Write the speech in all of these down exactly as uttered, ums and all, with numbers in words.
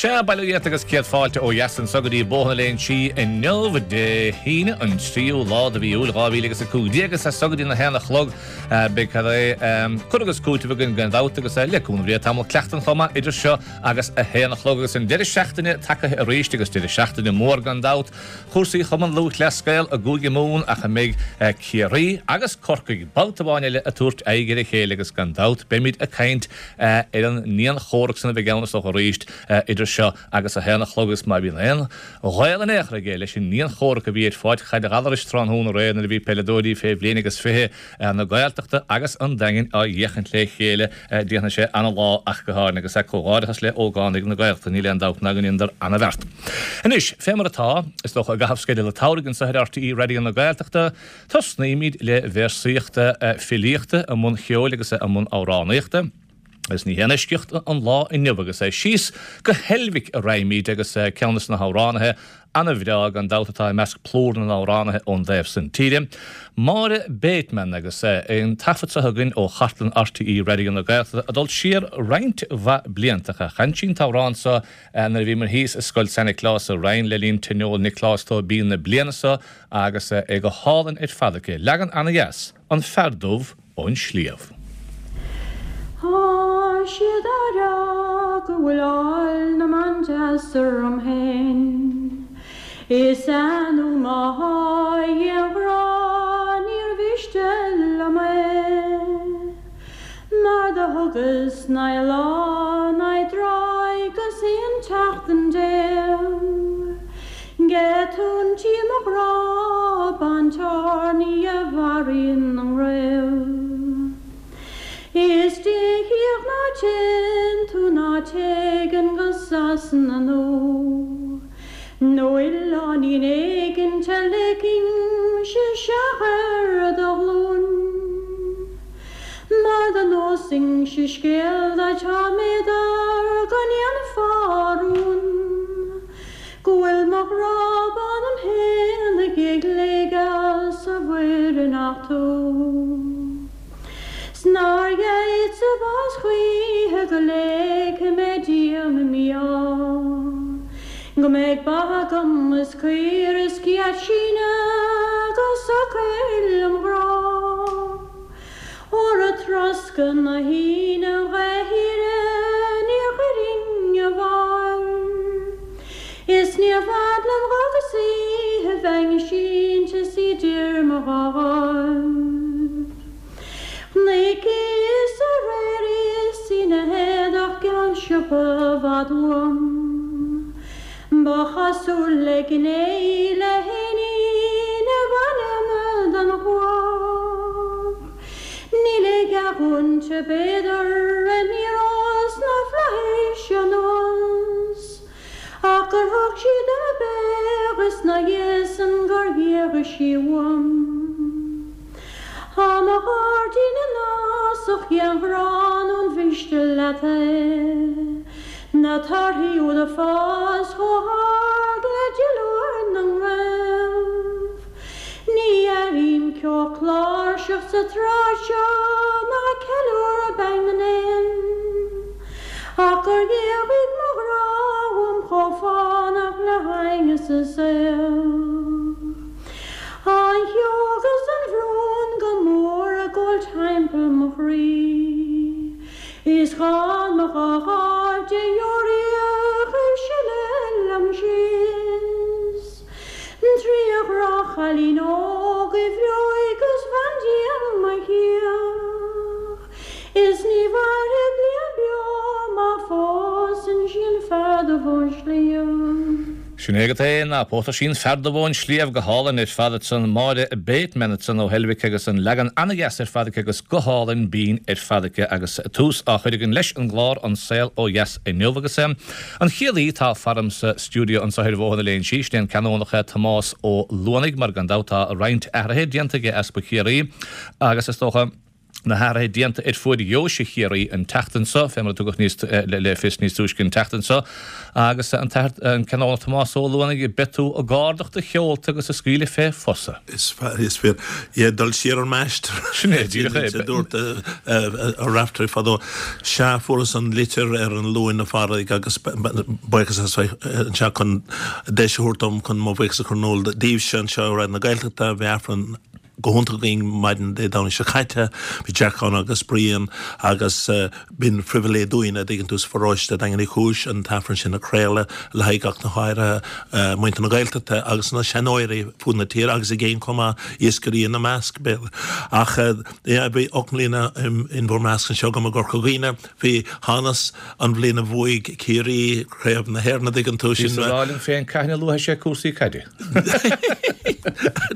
Sea, bail ó Dhia ort agus céad fáilte ó dheas anso go dtí Bóthar na Léinsí inniu, Dé hAoine an tríú lá de mhí Iúil dhá mhíle agus a cúig déag agus as so go dtí na haon a chlog beidh cad é cur agus cúiteamh againn gan dabht agus le cúnamh Dé tamall cleachtain chomh maith idir seo agus a haon a chlog agus an deireadh seachtaine tagaithe arís agus deireadh seachtaine mór gan dabht chúrsaí Chumann Lúthchleas Gael i gCúige Mumhan ach a mbeidh Ciarraí agus Corcaigh babhta amháin eile ag tabhairt aghaidh ar a chéile agus gan dabht beimid ag caint ar an ndianchomhrac san a bheidh ann is dócha arís idir seo agus a haon a chlog agus má bhíonn aon ghaol in aon chor aige leis an ndianchomhrac a bhí ar Pháirc Chaide Ghallarais tráthnóna aréir nuair a bhí peileadóirí fé bhliain agus fiche na Gaeltachta agus an Daingin á fhéachaint le chéile déanfaidh sé ana-lá ach go háirithe agus comhghairdeachas le hógánaigh na Gaeltachta níl aon dabht ná go ndeineadar ana-bheart. Anois, fé mar atá, is dócha, i gcaitheamh sceideal an tsamhraidh anseo ar RTÉ Raidió na Gaeltachta, tosnaímid le véarsaíocht filíochta i mbun cheoil agus i mbun amhránaíochta. Agus ní haon eisceacht an lá inniu agus síos go hEilbhic a raghaimid agus ceann de na hamhránaithe ana-bhreá gan dabht atá i measc plúr na n-amhránaithe ón dtaobh san tíre, Máire Bateman agus an taifead seo againn ó chartlann RTÉ Raidió na Gaeltachta ag dul siar roinnt mhaith blianta. Chan sí an t-amhrán seo nuair a bhíomar thíos i Scoil San Nioclás sa Rinn le linn Tionól Nioclás Tóibín na bliana seo agus é go hálainn ar fad aici. Leagan ana-dheas, An Fear Dubh ón Sliabh. Tá siad á rá go bhfuil áil na mban deas orm féin Is ea nó má tá a ghrá níor mhiste liom é Mar do thugas naoi lá naoi dtráth agus aon tseachtain déag Go tóin tí mo ghrá baintearnaí a mharaíonn an ngraobh. Is Dé thiar ná téann tú ná téigheann go Sasana nó nó oileáinín éigint a ligfinnse isteach ar do ghlúin. Mar dá neosainnse scéal duit tá mé daor go ndéanfá rún go bhfuil mo ghrá bán 'om fhéinig ag léigeadh sa mhuir nach tú. 'S nár gheibheadsa bás choíche go léigfidh mé díom i mí-ádh, go mbeidh ba agam is caoire is céad síneadh go socair lem ghrá. Óra troscadh na hAoine dhá thíre níor chuirfinn i bhfáil, is níor bhfad liom dhá go saoithe bheinn sínte 's idir mo dhá dháimh. Chonaiceas aréir í 's í 'na héadach geal siopa i bhfad uaim. Ba chosúil le gné í le héinín a bhainim den chuach. Níl a dhath inti b'fhéidir a n-éireodh sna flaithis anuas, ach gur thug sí dom a béar is 'na dhiaidh san gur dhíorthaigh sí uaim. Tá mo ghairdín in fhásach den ghrá nó an mhiste leat é, na torthaí úd ag fás chomh hard le duilliúr na ngreamh. Ní airím ceo cláirseach sa tsráid seo ná ceiliúradh binn na n-éan, ach gur dhíorthaigh mo ghrá uaim chomh fánach le haingeas is aoch. An shióg is an bhrón go mór ag gabháil timpeall mo chroí, is dhán mo dhá dháimh de dheoraíoch ag sileadh liom síos. Trí ghráchailín óg a bhreoigh is bhandia mo chioch, is ní mhairfidh bliain beo má phósann sí an fear dubh ón sliabh. Sin é agat é, ná pósadh sí an fear dubh ón sliabh go hálainn ar fad ansan, Máire Bateman ansan ó Heilbhic agus an leagan ana-dheas ar fad aici agus guth álainn binn ar fad aici agus tús á chur againn leis an gclár An Saol Ó Dheas inniu agus an chéad aoi atá faram sa stiúideo anseo ar Bhóthar na Léinsí, sin é an Canónach Tomás Ó Luanaigh mar gan dabht tá roinnt athruithe déanta aige Easpag Chiarraí agus is dócha na hathruithe déanta ar fuaid Dheoise Chiarraí an tseachtain seo, fé mar a tugadh níos le fios níos túisce an tseachtain seo, agus an tAthair an Canónach Tomás Ó Luanaigh, beidh tú ag ardach do sheolta agus ag scaoileadh fé Fosa. Is is fíor. Yeah, dul siar an mast. Sin é, díreach é. A dúirt Raftery fadó. Sea, fuaireas an litir ar an Luan a Phádraig agus buíochas as bheith anseo chun deis a thabhairt dom chun mo bhuíochas a chur in iúl daoibhse anseo i Raidió na Gaeltachta. Bhí Aifreann go hiontach againn maidin Dé Domhnaigh seo caite. Bhí Jack ann agus Brian agus b'in phribhléid dúinn a dtuigeann tú sa pharóiste Daingean Uí Chúis an t-aifreann sin a chraoladh le haghaidh ach go háirithe muintir na Gaeltachta agus na seanóirí fud na tíre agus i gcéin chomh maith, iascairí ina measc, b'fhéidir. Ach yeah bhí ocht mbliana in bhur measc anseo agam i gCorca Dhuibhne. Bhí hanas an bhliain a bhuaigh Ciarraí Craobh na hÉireann a dtuigeann tú, sin. Bhíos ag rá liom féin cathain a luafaidh sé cúrsaí caide?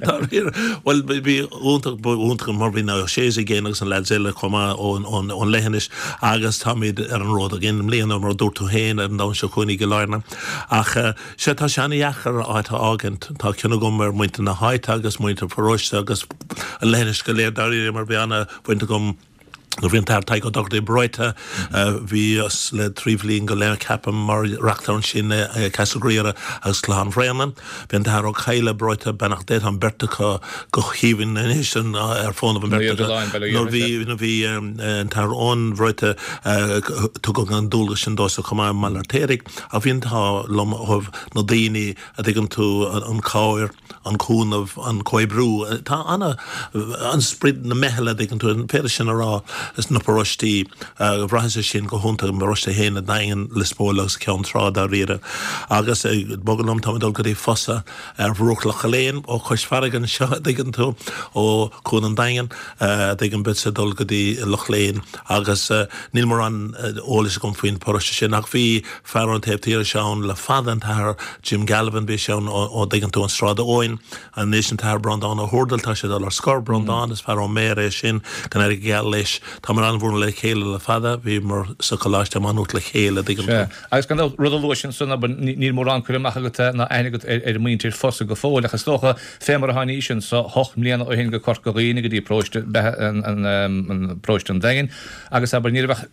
Dáiríre. Bhuel, bhí iontach, ba iontach mar bhí na O'Sheas i gcéin agus na lads eile chomh maith ón, ón, ón leithinis agus táimid ar an ród again i mbliana mar a dúirt tú féin ar an Domhnach seo chugainn i gCill Airne. Ach sea, tá sé an-dheacair áit a fhágaint. Tá cion agam ar mhuintir na háite agus muintir an pharóiste agus an leithinis go léir dáiríre mar bhí an-bhaint agam Nuair a bhí an tAthair Tadhg Ó Dochartaigh breoite, bhíos le trí bhliain go leith, ceapaim, mar reachtaire ansin i Castle Ghriaire agus Clochán Bhréanainn. Bhí an tAthair Ó Cadhla breoite, beannacht Dé, tá an bheirt acu go haoibhinn anois ar fónamh an bheirt acu. Nuair a bhí nuair a bhí an tAthair Eoin breoite, tugadh an dualgas sin domhsa chomh maith i mBaile an Fheirtéaraigh. Ach bhí an t-ádh liom ó thaobh na daoine, a dtuigeann tú, an chabhair, an cúnamh, an comhoibriú. Tá ana, an sprid na meithle, a dtuigeann tú, an féidir sin a rá, sna paróistí. Bhraitheas é sin go hiontach i m'pharóiste féin, an Daingean, Lios Póil agus Ceann Trá dáiríre. Agus ag bogadh liom, táim ag dul go dtí Fosa ar bhruach Loch Léin, ó chois farraige anseo, a dtuigeann tú, ó Chuan an Daingin, a dtuigeann, beadsa ag dul go dtí Loch Léin agus níl mórán eolais agam faoin bparóiste sin ach bhí fear ón taobh thiar anseo ann le fada, an tAthair Jim Galvin, bhí sé ann ó dtuigeann tú an Sráid Eoin, anois an tAthair Breandán Ó hÚrdail, tá sé ag dul ar scor, Breandán, is fear ón Méar é sin, go n-éirí go geal leis. Táimid an-mhór le chéile le fada, bhíomar sa choláiste i Maigh Nuat le chéile, dtuigeann Sea, tú. agus gan dabht, rud a luais ansan, abair, níl mórán cur amach agat ná aithne agat ar mhuintir Fosa go fóill, ach is dócha, fé mar a tháinís anso hocht mbliana ó shin go Corca Dhuibhne go dtí paróiste, an, paróiste an Daingin, agus abair, ní raibh ach,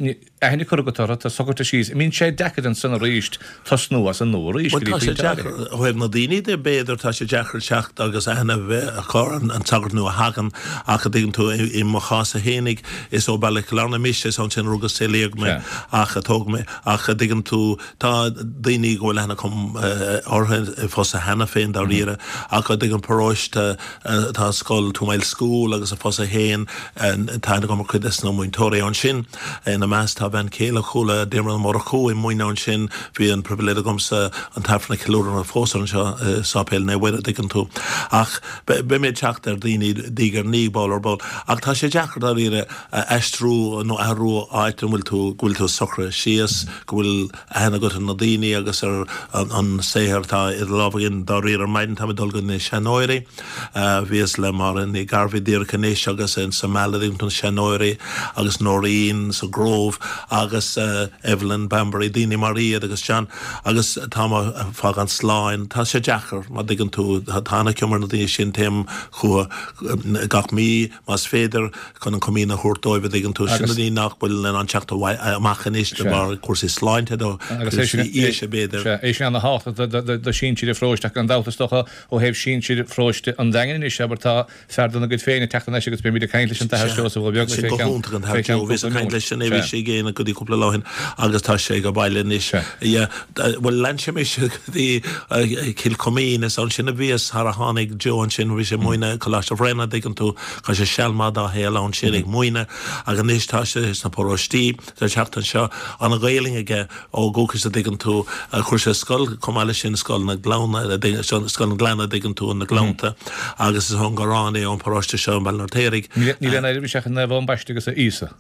aithne curtha agat orthu, tá socraithe síos. An mbíonn sé deacair ansan arís tosnú as an nua arís Bhuel go dtí tá sé pointe deacair áirithe? ó thaobh na daoine de, b'fhéidir, tá sé deacair teacht agus aithne a bheith acu ar an tsagart nua a thagann ach a dtuigeann tú, i mo chás fhéinig, is ó Bhaile Chill Airne mise, is ansin a rugadh is saolaíodh mé Sea. ach a tógadh mé ach a dtuigeann tú, tá daoine go bhfuil aithne agam orthu i Fosa cheana féin dáiríre ach a dtuigeann paróiste, tá scoil Two Mile School agus i Fosa féin, tá aithne agam ar chuid des na múinteoirí ansin. Ina measc tá bean chéile Chuala, Diarmuid Ó Murchú, ag múineadh ansin. Bhí an pribhléid agamsa an t-aifreann a cheiliúradh ina phósadh anseo i Sáipéal Naomh Muire, an dtuigeann tú. Ach beidh mé ag teacht ar dhaoine diaidh ar ndiaidh, ball ar ball. Ach tá sé deacair dáiríre aistriú nó athrú áit an bhfuil tú, go bhfuil tú socraithe síos, go bhfuil aithne agat ar na daoine agus ar an saothar atá idir lámha againn. Dáiríre ar maidin táim ag dul go na seanóirí. Bhíos le Máire Ní Ghairbhí díreach anois agus sa Meal ag na seanóirí agus Noreen sa Grove agus Evelyn Bambury, daoine mar iad agus John agus táim ag fágáil sláin. Tá sé deacair má dtuigeann tú, tá ana-chion ar na daoine sin, téim chucu gach mí más féidir chun an chomaoin a thabhairt dóibh a dtuigeann tú. Sin na daoine nach bhfuil in ann teacht amach anois de bharr cúrsaí sláinte nó cúrsaí aoise b'fhéidir. Sea, é sin ana-thábhachtach do shinsir an pharóiste ach gan dabht is dócha ó thaobh sinsir pharóiste an Daingin anois, abair, tá fear dona gcuid féin ag teacht anois agus beimid ag caint leis an tAthair Seosamh Ó Beaglaoich Sin fé go cheann hiontach an fé tAthair cheann Joe. Bhíos cúpla ag caint nóiméad. leis inné, bhí Sea. sé ag éineacht go dtí cúpla lá ó shin agus tá sé ag baile anois. Sea. Yeah, bhuel lean sé mise go dtí Cill Choimín, is ansin a bhíos thar a tháinig Joe ansin, bhí sé ag múineadh i Coláiste Bhréanainn, an dtuigeann tú, chaith sé seal maith dá shaol ansin ag múineadh ach anois tá sé sna paróistí, tá sé ag teacht anseo, an-Ghaelainn aige ó dhúchas a dtuigeann tú, chuir sé scoil chomh maith leis sin, Scoil na Gleanna, Scoil na Gleanna a dtuigeann tú, na Gleannta agus is ón Gharrán é ón bparóiste seo i mBaile an Fheirtéaraigh. Níl aon éirim isteach i Naomh Eoin Baiste agus a Íosa.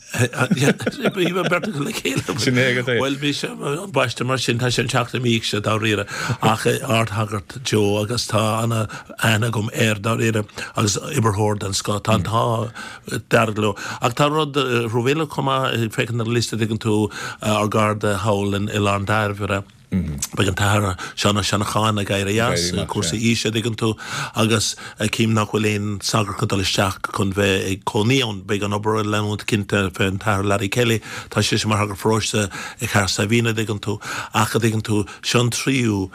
Bhí beirt acu le chéile. Sin é agat é. Bhuel bhí sé an baiste mar sin, tá sé an teach i m'íoc sé dáiríre ach ardshagart Joe agus tá ana aithne agam air dáiríre agus oibritheoir den scoth. Tá an t-ádh dearg leo. Ach tá rud rómhíle chomh maith, féachaint ar an liosta a dtuigeann tú, ár gcairde thall in Oileán Dairbhre. Beidh an tAthair Seán Ó Seanacháin ag éirí as, cúrsaí aoise an dtuigeann tú, agus cím nach bhfuil aon sagart chun dul isteach chun bheith ag cónaí ann. Beidh an obair ag leanúint cinnte fé an tAthair Larry Kelly, tá seisean mar shagart paróiste i Chathair Saidhbhín an dtuigeann tú, ach an dtuigeann tú, seo an tríú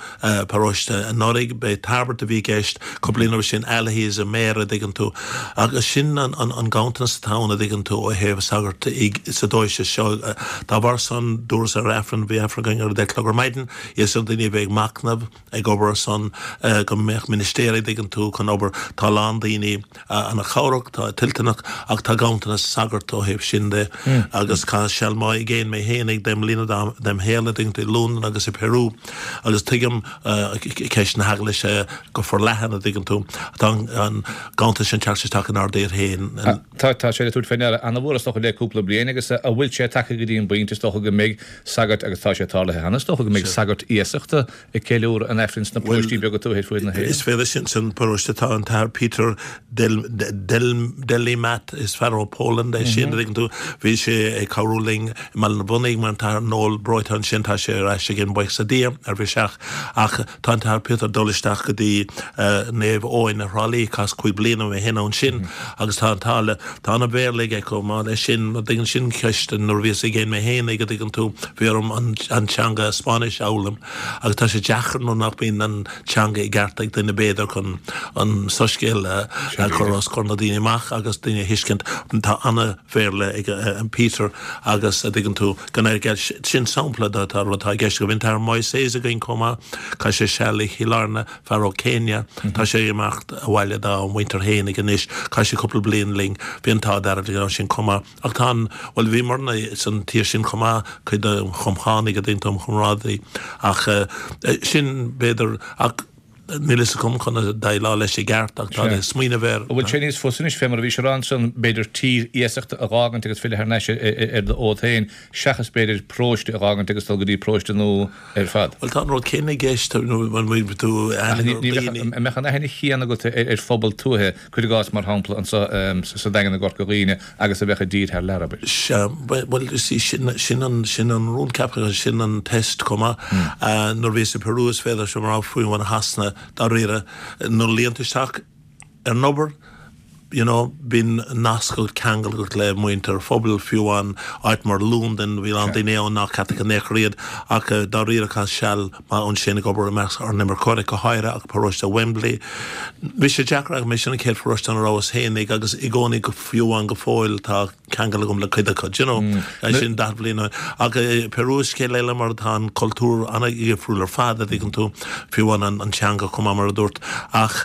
paróiste. Anuraidh b'é Tairbeart a bhí i gceist, cúpla bliain roimhe sin Allihies i mBéarra an dtuigeann tú, agus sin an an ganntanas atá ann an dtuigeann tú ó thaobh sagart sa deoise seo. Dá bharr san dúras ar Aifreann, bhí Aifreann againn ar a deich a chlog ar maidin, Iarr ar daoine a bheith ag machnamh, ag obair ar son go mbeadh ministéirí, an dtuigeann tú, chun obair. Tá a lán daoine ana chabhrach, tá toilteanach ach tá ganntanas sagart ó thaobh sin de agus chaitheas seal maith i gcéin mé féin ag deich mbliana dem shaol, an dtuigeann tú, i Londain agus i Peru agus tuigim ceist na hEaglaise go forleathan, an dtuigeann tú. Tá an ganntanas sin teacht isteach inár dtír féin. Tá, tá sé le tabhairt fé ndeara ana-mhór is dócha le cúpla bliain agus an bhfuil sé tagtha go dtí an bpointe is dócha go mbeidh sagart, agus tá sé tarlaithe cheana, is dócha go mbeidh sagairt iasachta ag ceiliúradh an Aifrinn sna paróistí beaga tuaithe ar fuaid na hÉireann. Is féidir sin san paróiste tá an tAthair Peter Del Del Delimat is fear ó Poland é sin, an dtuigeann tú. Bhí sé ag cabhrú linn i mBaile na Bhunaigh mar an tAthair Noel breoite ansin tá sé ar ais again buíochas le Dia ar bhiseach ach tá an tAthair Peter ag dul isteach go dtí Naomh Eoin i Thrá Lí chaitheas cúig bliana mé féin ansin agus tá an t-ádh le tá ana Bhéarla aige chomh maith leis sin an dtuigeann sin ceist nuair a bhíos i gcéin mé féin ag an dtuigeann tú bhí orm an an teanga Spáinnis a fhoghlaim agus tá sé deacair nuair nach mbíonn an teanga i gceart ag duine b'fhéidir chun an soiscéal a a chur os comhair na daoine amach agus daoine a thuiscint. Tá ana Bhéarla ag an Peter agus a dtuigeann tú gan air sin sampla de tá rud atá i gceist go bhíonn an tAthair Moises againn chomh maith chaith sé seal i Chill Airne fear ó Kenya tá sé ag imeacht abhaile dá mhuintir fhéinig anois chaith sé cúpla bliain linn bhí an t-ádh dearg linn ansin chomh maith. Ach tá an, bhuel bhíomarna san tír sin chomh maith, cuid de chomchánaigh a dtuigeann tú mo chomrádaí ach sin b'fhéidir ach níl fhios agam conas déileáil leis i gceart ach tá Sea. smaoineamh air. An bhfuil sé níos fusa anois fé mar a bhís a rá ansan, b'fhéidir tír iasachta a dh'fhágaint agus filleadh thar n-ais ar do fhód féin seachas b'fhéidir paróiste a dh'fhágaint agus dul go dtí paróiste nua ar fad? Bhuel tá an rud céanna i gceist nó an bhfuil tú Ach aithne ní ar bheadh, dhaoine. an mbeadh an aithne chéanna agat ar phobal tuaithe, cuir i gcás mar shampla anso sa Daingean i gCorca Dhuibhne agus a bheadh i dtír thar lear, abair. Sea, bhuel, you see, sin, sin an, sin an rún ceaptha, sin an test chomh maith. Nuair a bhíos i Peru is féidir liom a rá fiú amháin i Shasana, dáiríre, nuair a luíonn tú isteach ar an obair, you know, bíonn nasc agat, ceangal agat le muintir phobail, fiú amháin áit mar Londain, bhí a lán daoine ann nach Caitlicigh in aon chor iad, ach dáiríre chaitheas seal maith ansin ag obair i measc ár n-imirceoirí, go háirithe ach paróiste Wembley. Bhí sé deacair ach sin an chéad pharóiste ina rabhas fhéinig agus i gcónaí go fiú amháin go fóill tá ceangal agam le cuid acu, do you know, sin daichead bliain ó shin. Ach Peru is scéal eile mar tá an cultúr an-dhifriúil ar fad, a dtuigeann tú, fiú amháin an teanga chomh maith mar a dúirt. Ach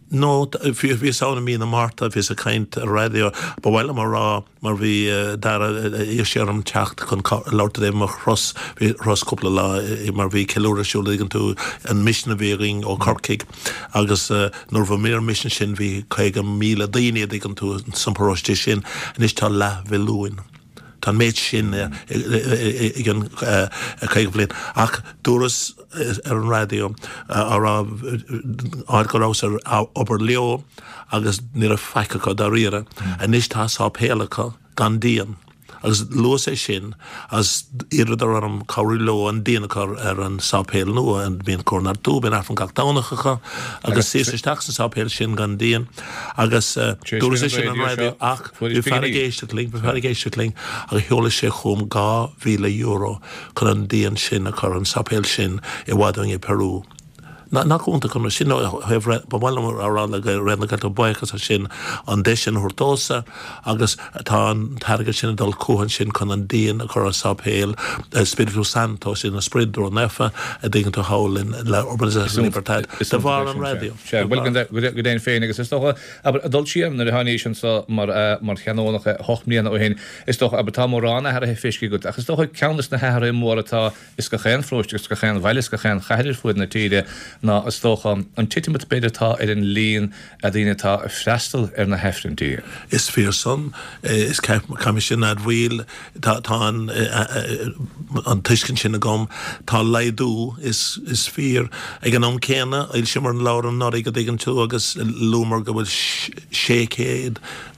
no, bhíos ann i mí na Márta, bhíos ag caint ar raidió, ba mhaith liom a rá, mar bhí Dara, iarr sé orm teacht chun labhairt i dtaobh mo thuras, bhí thuras cúpla lá mar bhí ceiliúradh ar siúl, an dtuigeann tú, an misean a bhí againn ó Corcaigh agus nuair a bhí ar an misean sin bhí caoga míle daoine, an dtuigeann tú, san paróiste sin, anois tá leathmhilliún. Tá an méid sin i gcionn caoga bliain. Ach dúras ar an raidió á rá áit go rabhas ar obair leo agus ní raibh faic acu dáiríre. Anois tá sáipéal acu gan díon. Agus luas é sin agus d'iarradar orm cabhrú leo an díon a chur ar an sáipéal nua. Bíonn cór bíonn Aifreann gach Domhnach acu agus suíos isteach sa sáipéal sin gan díon agus dúras é sin ar an raidió ach bhí fear ag éisteacht linn, bhí fear ag éisteacht linn agus sheol sé chugam dhá mhíle euro chun an díon sin a chur ar an sáipéal sin i bhfad uainn i Peru. Nach iontach an rud sin ó thaobh ba mhaith liom a rá le Raidió na Gaeltachta buíochas as sin an deis sin a thabhairt domhsa agus tá an t-airgead sin ag dul chucu ansin chun an díon a chur ar sáipéal Espiritu Santo sin an Sprid Ró-Naofa a dtuigeann tú thall in La Urbanización Libertad de bharr an raidió. Sea, bhuel go deimhin féin agus is dócha, abair, ag dul siar nuair a tháinís anso mar mar Chanónach hocht mbliana ó shin, is dócha, abair, tá mórán athraithe feiscithe agat ach is dócha ceann de na hathruithe móra atá Is gach aon pharóiste agus gach aon bhaile is gach aon chathair ar fuaid na tíre ná, is dócha, an titim atá, b'fhéidir, atá ar an líon daoine atá ag freastal ar na hAifrinntí. Is fíor san. Is caithfidh mé sin a admhaíl. Tá an an tuiscint sin agam. Tá laghdú, is is fíor. Ag an am céanna, fhoilsíomar an leabhar anuraidh, a dtuigeann tú, agus luamar go bhfuil sé chéad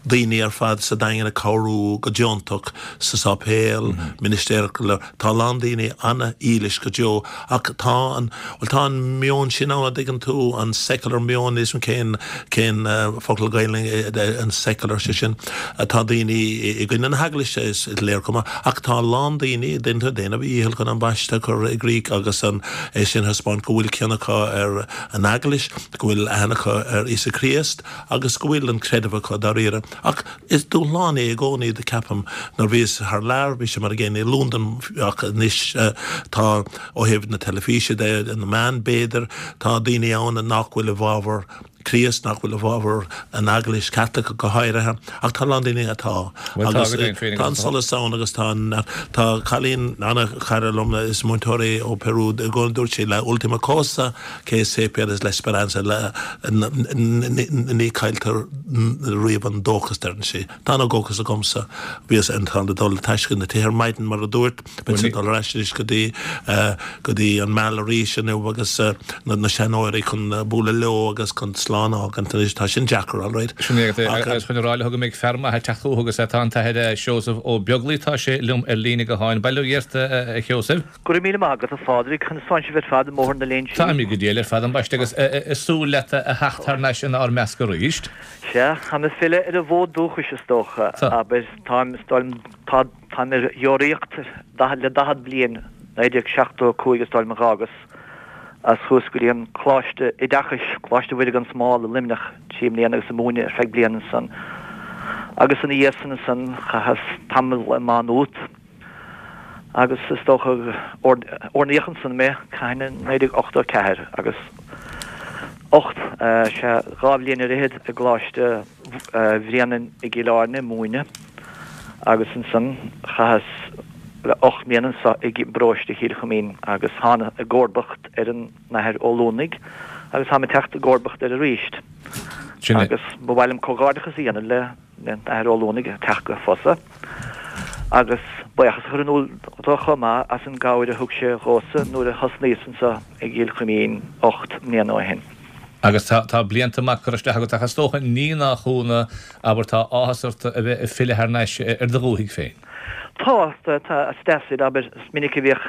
daoine ar fad sa Daingean ag cabhrú go deontach sa sáipéal, ministéir, tá a lán daoine ana-dhílis go deo ach tá an, bhuel tá an meon sin ann, a dtuigeann tú, an secular meon, níl 'fhios a'm cén, cén focal Gaelainn an secular sé sin, tá daoine i gcoinne na heaglaise is léir chomh maith ach tá a lán daoine ag déanamh a dhícheall chun an baisteadh a chur i gcrích agus an é sin a thaispeáint go bhfuil cion acu ar an eaglais, go bhfuil aithne acu ar Íosa Críost agus go bhfuil an creideamh acu dáiríre. Ach is dúshlán é i gcónaí do ceapaim nuair bhíos thar lear, bhí sé mar an gcéanna i Londain ach anois tá ó thaobh na teilifíse de, na meán b'fhéidir, tá daoine ann nach bhfuil i bhfabhar Críost, nach bhfuil i bhfabhar an Eaglais Chaitliceach go háirithe, ach tá a lán daoine atá. Agus tá an solas ann agus tá an, tá cailín ana-chara liom, is múinteoir í ó Peru, i gcónaí dúirt sí la última cosa que se pierde es la esperanza, ní cailltear riamh an dóchas, deireann sí. Tá ana-dhóchas agamsa. Bhíos in ann dul ag taisce na tithe ar maidin mar a dúirt, beidh ag dul ar ais anois go dtí go dtí an Meal arís inniu agus na seanóirí chun bualadh leo agus chun slán a fhágaint anois. Tá sin deacair, alright. Sin é agus chun a rá leat go mbeidh fear maith ag teacht chucu agus tá an tAthair Seosamh Ó Beaglaoi, tá sé liom ar líne gutháin. Bail ó Dhia ort, a Sheosaimh. Go raibh míle maith agat, a Phádraig. Conas tánn sibh ar fad i mBóthar na Léinsí? Táimid go diail ar fad, ambaiste, agus ag súil leat a theacht thar n-ais inár measc arís. Sea, táim ag filleadh ar an bhfód dúchais, is dócha. Abair, táim, tá, táim ar dheoraíocht le daichead bliain, naoi déag seachtó a cúig is dóigh liom a dh'fhágas, as chuas go dtí an Coláiste Oideachais, Coláiste Mhuire gan Smál i Luimneach, trí mbliana agus ag múineadh ar feadh bliain ansan. Agus ina dhiaidh san ansan chaitheas tamall i Má Nuat agus is dócha oirníodh ansan mé, cathain, i naoi déag ochtó a ceathair agus ocht, sea, dhá bhliain ar fhichead i gColáiste Bhréanainn i gCill Airne ag múineadh agus ansan chaitheas ocht mbliana anso i bparóiste Chill Chuimín agus thána i gcomharbacht ar an nAthair Ó Luanaigh agus táim ag teacht i gcomharbacht air arís agus ba mhaith liom comhghairdeachas a dhéanamh le an tAthair Ó Luanaigh ag teacht go Fosa agus buíochas a chur in iúl dó chomh maith as an gcabhair a thug sé dhomhsa nuair a thosnaíos anso i gCill Chuimín ocht mbliana ó shin. Agus tá, tá blianta maith curtha isteach agat ach is dócha ní nach ionadh, abair, tá áthas ort a bheith ag filleadh thar n-ais ar do dhúthaigh féin. Tá, tá, tá, is deas é, abair, is minic a bhíodh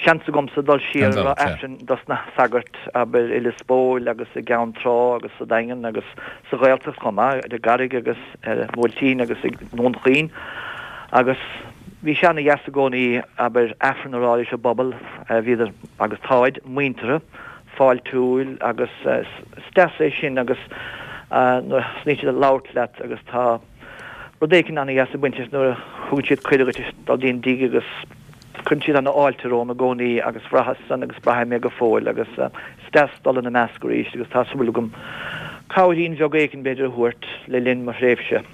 seans agamsa dul siar ag rá Aifrinn dos na sagairt, abair, i Lios Póil agus i gCeann Trá agus sa Daingean agus sa Ghaeltacht chomh maith, ar an gCarraig agus ar an mBuailtín agus i nDún Chaoin agus bhí sé ana-dheas i gcónaí, abair, Aifreann a rá leis an bpobal, bhíodar agus táid muinteartha. fáiltiúil agus is deas é sin agus nuair a thosnaíonn siad ag labhairt leat agus tá rud éicint ana-dheas ag baint leis nuair a thugann siad cuireadh duit dul dtí an dtigh agus cuireann siad ana-fháilte romham i gcónaí agus bhraitheas san agus braithim é go fóill agus is deas dul ina measc arís agus tá súil agam cabhairín bheag éicint b'fhéidir a thabhairt le linn mo thréimhse.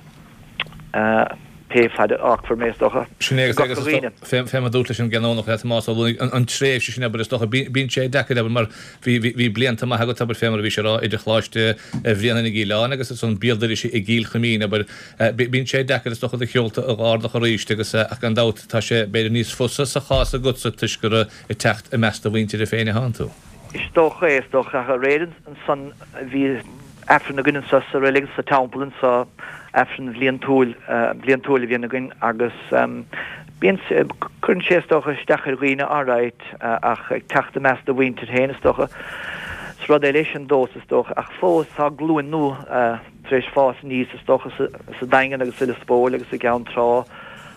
Pé fad a fhágfar mé, is dócha, Sin é agus agus fé fé mar dúirt leis an gCanónach le Tomás Ó Luanaigh, an tréimhse sin abair is dócha, bíonn sé deacair abair mar bhí bhí bhí blianta maith agat abair fé mar a bhí sé a rá idir Choláiste Bhréanainn i gCill Airne agus ansan béal dorais i gCill Chuimín abair bíonn sé deacair is dócha do sheolta a dh'ardach arís agus ach gan dabht tá sé b'fhéidir níos fusa sa chás agatsa toisc gur ag teacht i measc do mhuintire féin atánn tú. Is dócha é, is dócha ach aréir ansan bhí Aifreann againn anso sa reilig, sa teampall anso, Aifreann bhliantúil, bliantúil a bhíonn againn agus bíonn, cuireann sé is dócha isteach ar dhaoine alright ach ag teacht i measc do mhuintir féin is dócha, is rud eile é sin domhsa is dócha ach fós tá glúin nua tar éis fás aníos is dócha sa Daingean agus i Lios Póil agus i gCeann Trá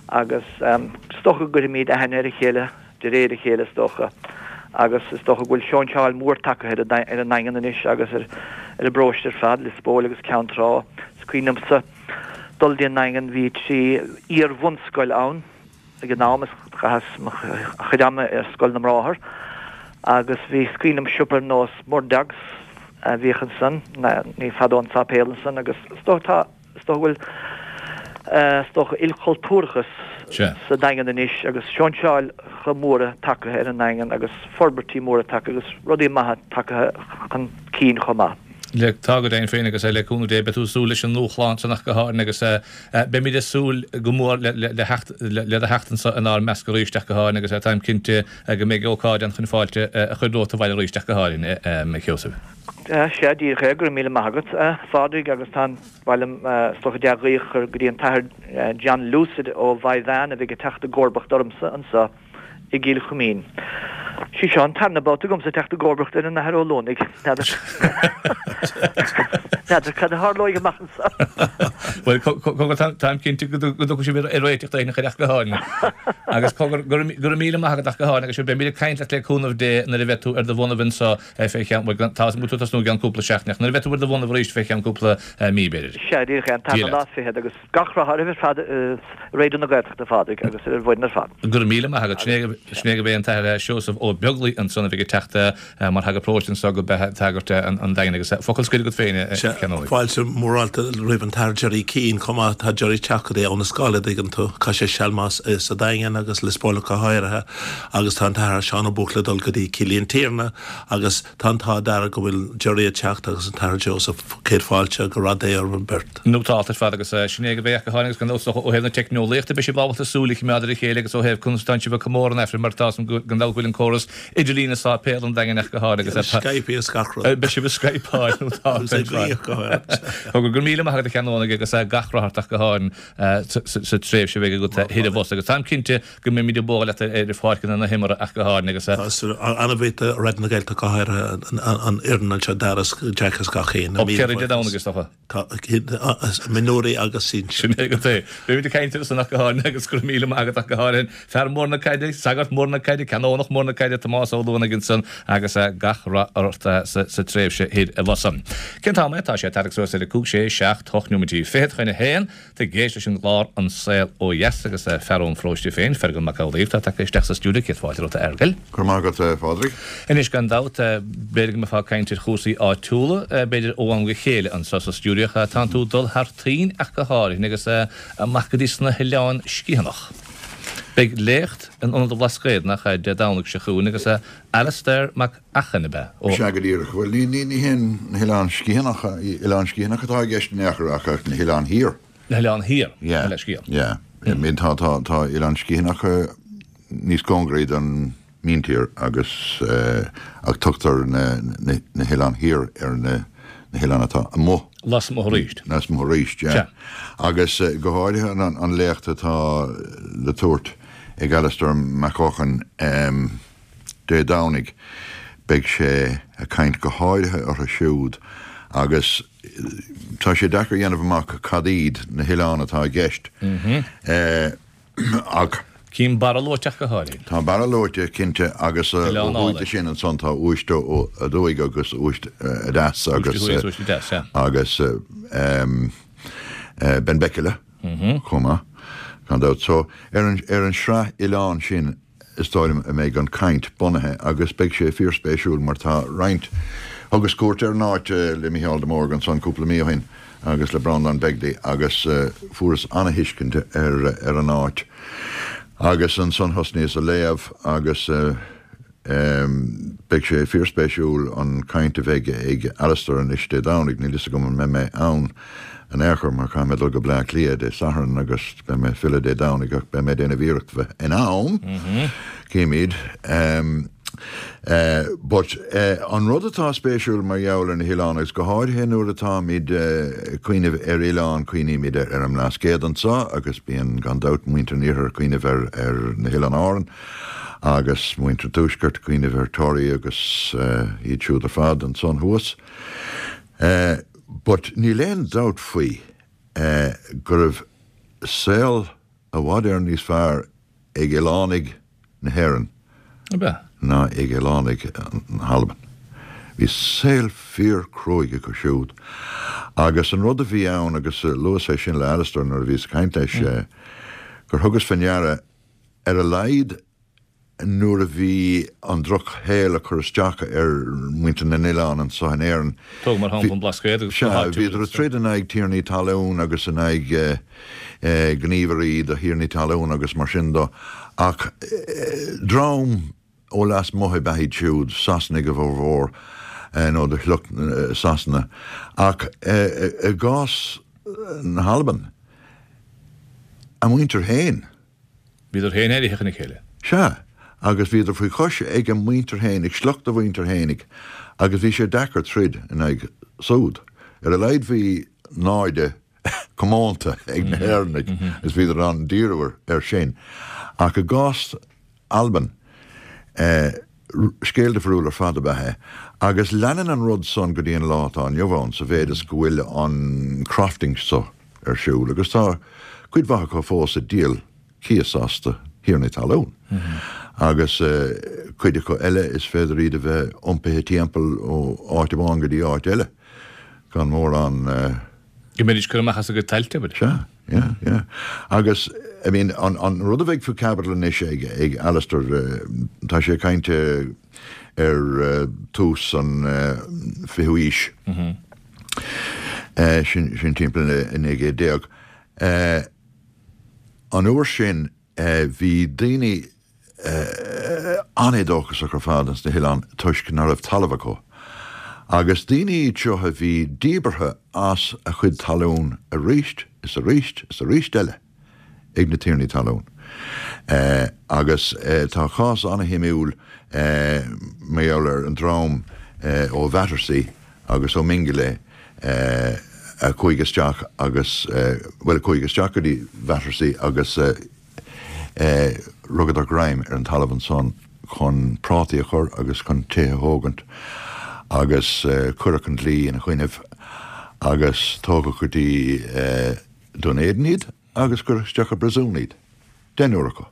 agus is dócha go gcuirfimid aithne ar a chéile. de réir a chéile is dócha, agus is dócha go bhfuil seoinseáil mhór tagtha ar an nDaingean anois agus ar an bparóiste ar fad, Lios Póil agus Ceann Trá. Is cuimhin liomsa dul dtí an nDaingean, bhí trí iar-bhunscoil ann ag an am, is chaitheas mo chuid ama ar Scoil na mBráthar agus bhí, is cuimhin liom siopa ar nós Murdoch's a bhíodh ansan, ní fada ón sáipéal ansan agus is dócha tá, Is dócha go bhfuil, is dócha, ilchultúrachas sa Daingean anois agus seoinseálacha móra tagtha ar an nDaingean agus forbairtí móra tagtha agus rudaí maithe tagtha chun cinn chomh maith. Le tá go deimhin féin agus le cúnamh Dé beidh tú ag súil leis an ndúshlán san ach go háirithe agus beimid ag súil go mór le le do theacht anso inár measc arís ach go háirithe agus táim cinnte go mbeidh ócáid ann chun fáilte a chur romhat abhaile arís ach go háirithe, a Sheosaimh. Sea, díreach é, go raibh míle maith agat, a Phádraig, agus tá an mhaith liom is dócha dea-ghuí a chur go dtí an tAthair John Lucid ó Mhaigh Mheáin a bheidh ag teacht i gcomharbacht ormsa anso i gCill Chuimín. Sí seo an tarna babhta agamsa teacht i gcomharbacht ar an Athair Ó Luanaigh. N'fheadar N'fheadar cad a tharlóidh amach anseo. Bhuel, cogar, táim cinnte go dtiocfaidh sibh ar réiteach éigin ach go háirithe. Agus cogar, go raibh míle maith agat ach go háirithe agus beimid ag caint leat le cúnamh Dé nuair a bheidh tú ar do bhonnaibh anseo fé cheann, bhuel, tá tú ag tosnú i gceann cúpla seachtain ach nuair a bheidh tú ar do bhonnaibh arís fé cheann cúpla mí, b'fhéidir. Sea, díreach é, an tarna lá fichead agus gach rath oraibh ar fad i Raidió na Gaeltachta, a Phádraig, agus ar an bhfoireann ar fad. Go raibh míle maith agat. Sin é gurb é an tAthair Seosamh Ó Beaglaoi ansan a bheidh ag teacht mar shagart paróiste anso go Tagairt an Daingin agus focal scoir agat féin, a Cheannónaigh. Fáilte mhórálta roimh an tAthair Gerry Keane chomh maith. Tá Gerry ag teacht go dtí ó na Scáil, a dtuigeann tú. Chaith sé seal maith sa Daingean agus Lios Póil ach go háirithe agus tá an tAthair Seán Ó Buachalla ag dul go dtí Cill Intiarna agus tá an t-ádh dearg go bhfuil Gerry ag teacht agus an tAthair Joseph. Céad fáilte go rath Dé orthu beirt. Nótálta ar fad agus sin é go mbeidh ach go háirithe agus gan dabht ó thaobh na teicneolaíochta beidh sibh ábalta súil a choimeád ar a chéile agus ó thaobh conas atánn sibh ag comóradh an Aifrinn mar tá gan dabht go bhfuil an córas idirlín ag sáipéal an Daingin ach go háirithe agus Skype is gach rud. Beidh sibh ag Skypeáil nótálta ar fad. Go raibh míle maith agat a Cheannónaigh agus gach rath ort ach go háirithe sa tréimhse a bheidh agat thoir abhus agus táim cinnte go mbeimid ag bualadh leat ar pháirceanna na himeartha ach go háirithe agus. Tá an-mhaith do Raidió na Gaeltachta go háirithe an fhoireann anseo Dara is Jack is gach éinne. Ó ceithre Dé Domhnaigh is dócha. Tá mionúirí agus sinsir. Sin é agat é. Beimid ag caint air san ach go háirithe agus go raibh míle maith agat ach go háirithe. Fear mór na caide, sagart mór na caide, Canónach mór na caide, Tomás Ó Luanaigh ansan agus gach rath ort sa tréimhse thoir abhus. Cén t-am é? Tá sé ag tarraingt suas ar a cúig, sé, seacht, hocht nóiméidí fichead chun a haon. Tá ag éisteacht leis an gclár An Saol Ó Dheas agus fear ón pharóiste féin, Feargal Mac Amhlaoibh, atá tagtha isteach sa stiúideo. Céad fáilte romhat, a Fheargail. Go raibh maith agat, a Phádraig. Anois, gan dabht, b'fhéidir go mbeifeá ag caint ar chúrsaí áitiúla, b'fhéidir ó am go chéile anseo sa stiúideo, ach tánn tú ag dul thar toinn ach go háirithe agus amach go dtí sna hOileáin Sciathanach. Beidh léacht in Ionad an Bhlascaoid, nach ea, Dé Domhnaigh seo chugainn agus Alastair Mac Eachainn, ab ea? Ó. Sea, go díreach. Bhuel, ní, ní, ní hé na hOileáin Sciathanacha, Oileáin Sciathanacha atá i gceist in aon chor ach na hOileáin Thiar. Na hOileáin Thiar, Yeah, mo leithscéal. yeah. I mean, tá, tá, tá Oileáin Sciathanacha níos cóngaraí don míntír agus, eh, ach tugtar na, na, na hOileáin Thiar ar na, na hoileáin atá amuigh. Lasmuigh arís. Lasmuigh arís, yeah. Sea. Agus eh, go háirithe an, an léacht atá le tabhairt ag Alastair Mac Eochain em, Dé Domhnaigh, beidh sé ag caint go háirithe orthu siúd agus tá sé deacair a dhéanamh amach cad iad na hoileáin atá i gceist. Eh, ach Cím Barra luaite ach go háirithe. Tá Barra luaite, cinnte, agus ó Oileán thuaidh Álainn. de sin ansan tá Uibhist Aduaidh agus Uibhist Adeas Uibhist agus Thuaidh agus Uibhist Adeas, sea. agus em, eh, Benbecula chomh maith, gan dabht. So, ar an, ar an sraith oileán sin is dóigh liom a mbeidh an caint bunaithe agus beidh sé fíorspéisiúil mar tá roinnt, thugas cuairt ar an áit le Mícheál de Mórdha ansan cúpla mí ó shin agus le Breandán Begley agus fuaireas ana-thuiscint ar ar an áit agus ansan thosnaíos a léamh agus Beidh sé fíorspéisiúil an caint a bheidh ag Alastair anois Dé Domhnaigh. Níl fhios agam an mbeidh mé ann in aon chor mar caithfidh mé dul go Bleá Cliath Dé Sathairn agus beidh mé ag filleadh Dé Domhnaigh ach beidh mé ag déanamh iarracht bheith in am. Címid. But an rud atá spéisiúil mar gheall ar na hoileáin agus go háirithe nuair atáimid ag cuimhneamh ar oileán cuimhnímid ar an mBlascaod anseo agus bíonn gan dabht muintir an iarthair ag cuimhneamh ar ar na hOileáin Árann. Agus muintir an tuaiscirt ag cuimhneamh ar Toraigh agus iad siúd ar fad ansan thuas. But níl aon dabht faoi go raibh saol i bhfad Éireann níos fearr ag oileánaigh na hÉireann ná ag oileánaigh na hAlban. Bhí saol fíor cruaidh acu siúd. Agus an rud a bhí ann, agus luas é sin le Alastair nuair a bhíos ag caint leis, gur thugas fé ndeara ar a laghad nuair a bhí an drochshaol ag cur isteach ar mhuintir na n-oileán anso in Éirinn. Tóg mar shampla an Blascaod agus Sea, na háitiúil bhíodar ag troid in aghaidh tiarnaí talún agus in aghaidh gníomhairí do thiarnaí talún agus mar sin do, ach dream ó lasmuigh ab ea iad siúd, Sasanaigh a bhformhór, nó de shliocht Sasana. Ach i gcás na hAlban, a muintir féin. Bhíodar féin éirithe chun a chéile. Sea, agus bhíodar faoi chois ag a muintir féin, ag sliocht a mhuintir fhéinig, agus bhí sé deacair troid in aghaidh súd. Ar a laghad bhí naimhde comónta ag na hÉireannaigh is bhíodar in ann díriú air sin. Ach i gcás Alban, scéal difriúil ar fad ab ea é. Agus leanann an rud san go dtí an lá atá inniu ann sa mhéid is go bhfuil an crofting so ar siúl agus tá cuid mhaith acu fós ag díol cíos as do thiarnaí talún. Agus cuid acu eile is féidir iad a bheith iompaithe timpeall ó áit amháin go dtí áit eile gan mórán. Go mbeidís curtha amach as a gcuid tailte, abair. Sea, yeah, yeah. Agus, I mean, an, an rud a bheidh faoi chaibidil anois ag, ag Alistair, tá sé ag caint ar tús an fichiú aois, sin, sin timpeall naoi gcéad déag. An uair sin bhí daoine an-éadóchasach ar fad ins na hoileáin toisc ná raibh talamh acu. Agus daoine iad seo a bhí díbeartha as a chuid talún arís is arís is arís eile ag na tiarnaí talún. Agus tá cás an-shuimiúil mar gheall ar an dream ó Bhattersea agus ó Mingulay a chuaigh isteach agus, bhuel, a chuaigh isteach go dtí Battersea agus rugadar greim ar an talamh ansan chun prátaí a chur agus chun tithe a thógaint agus cuireadh an dlí ina choinnibh agus tógadh go dtí Dún Éideann iad agus cuireadh isteach i bpríosún iad, deichniúr acu.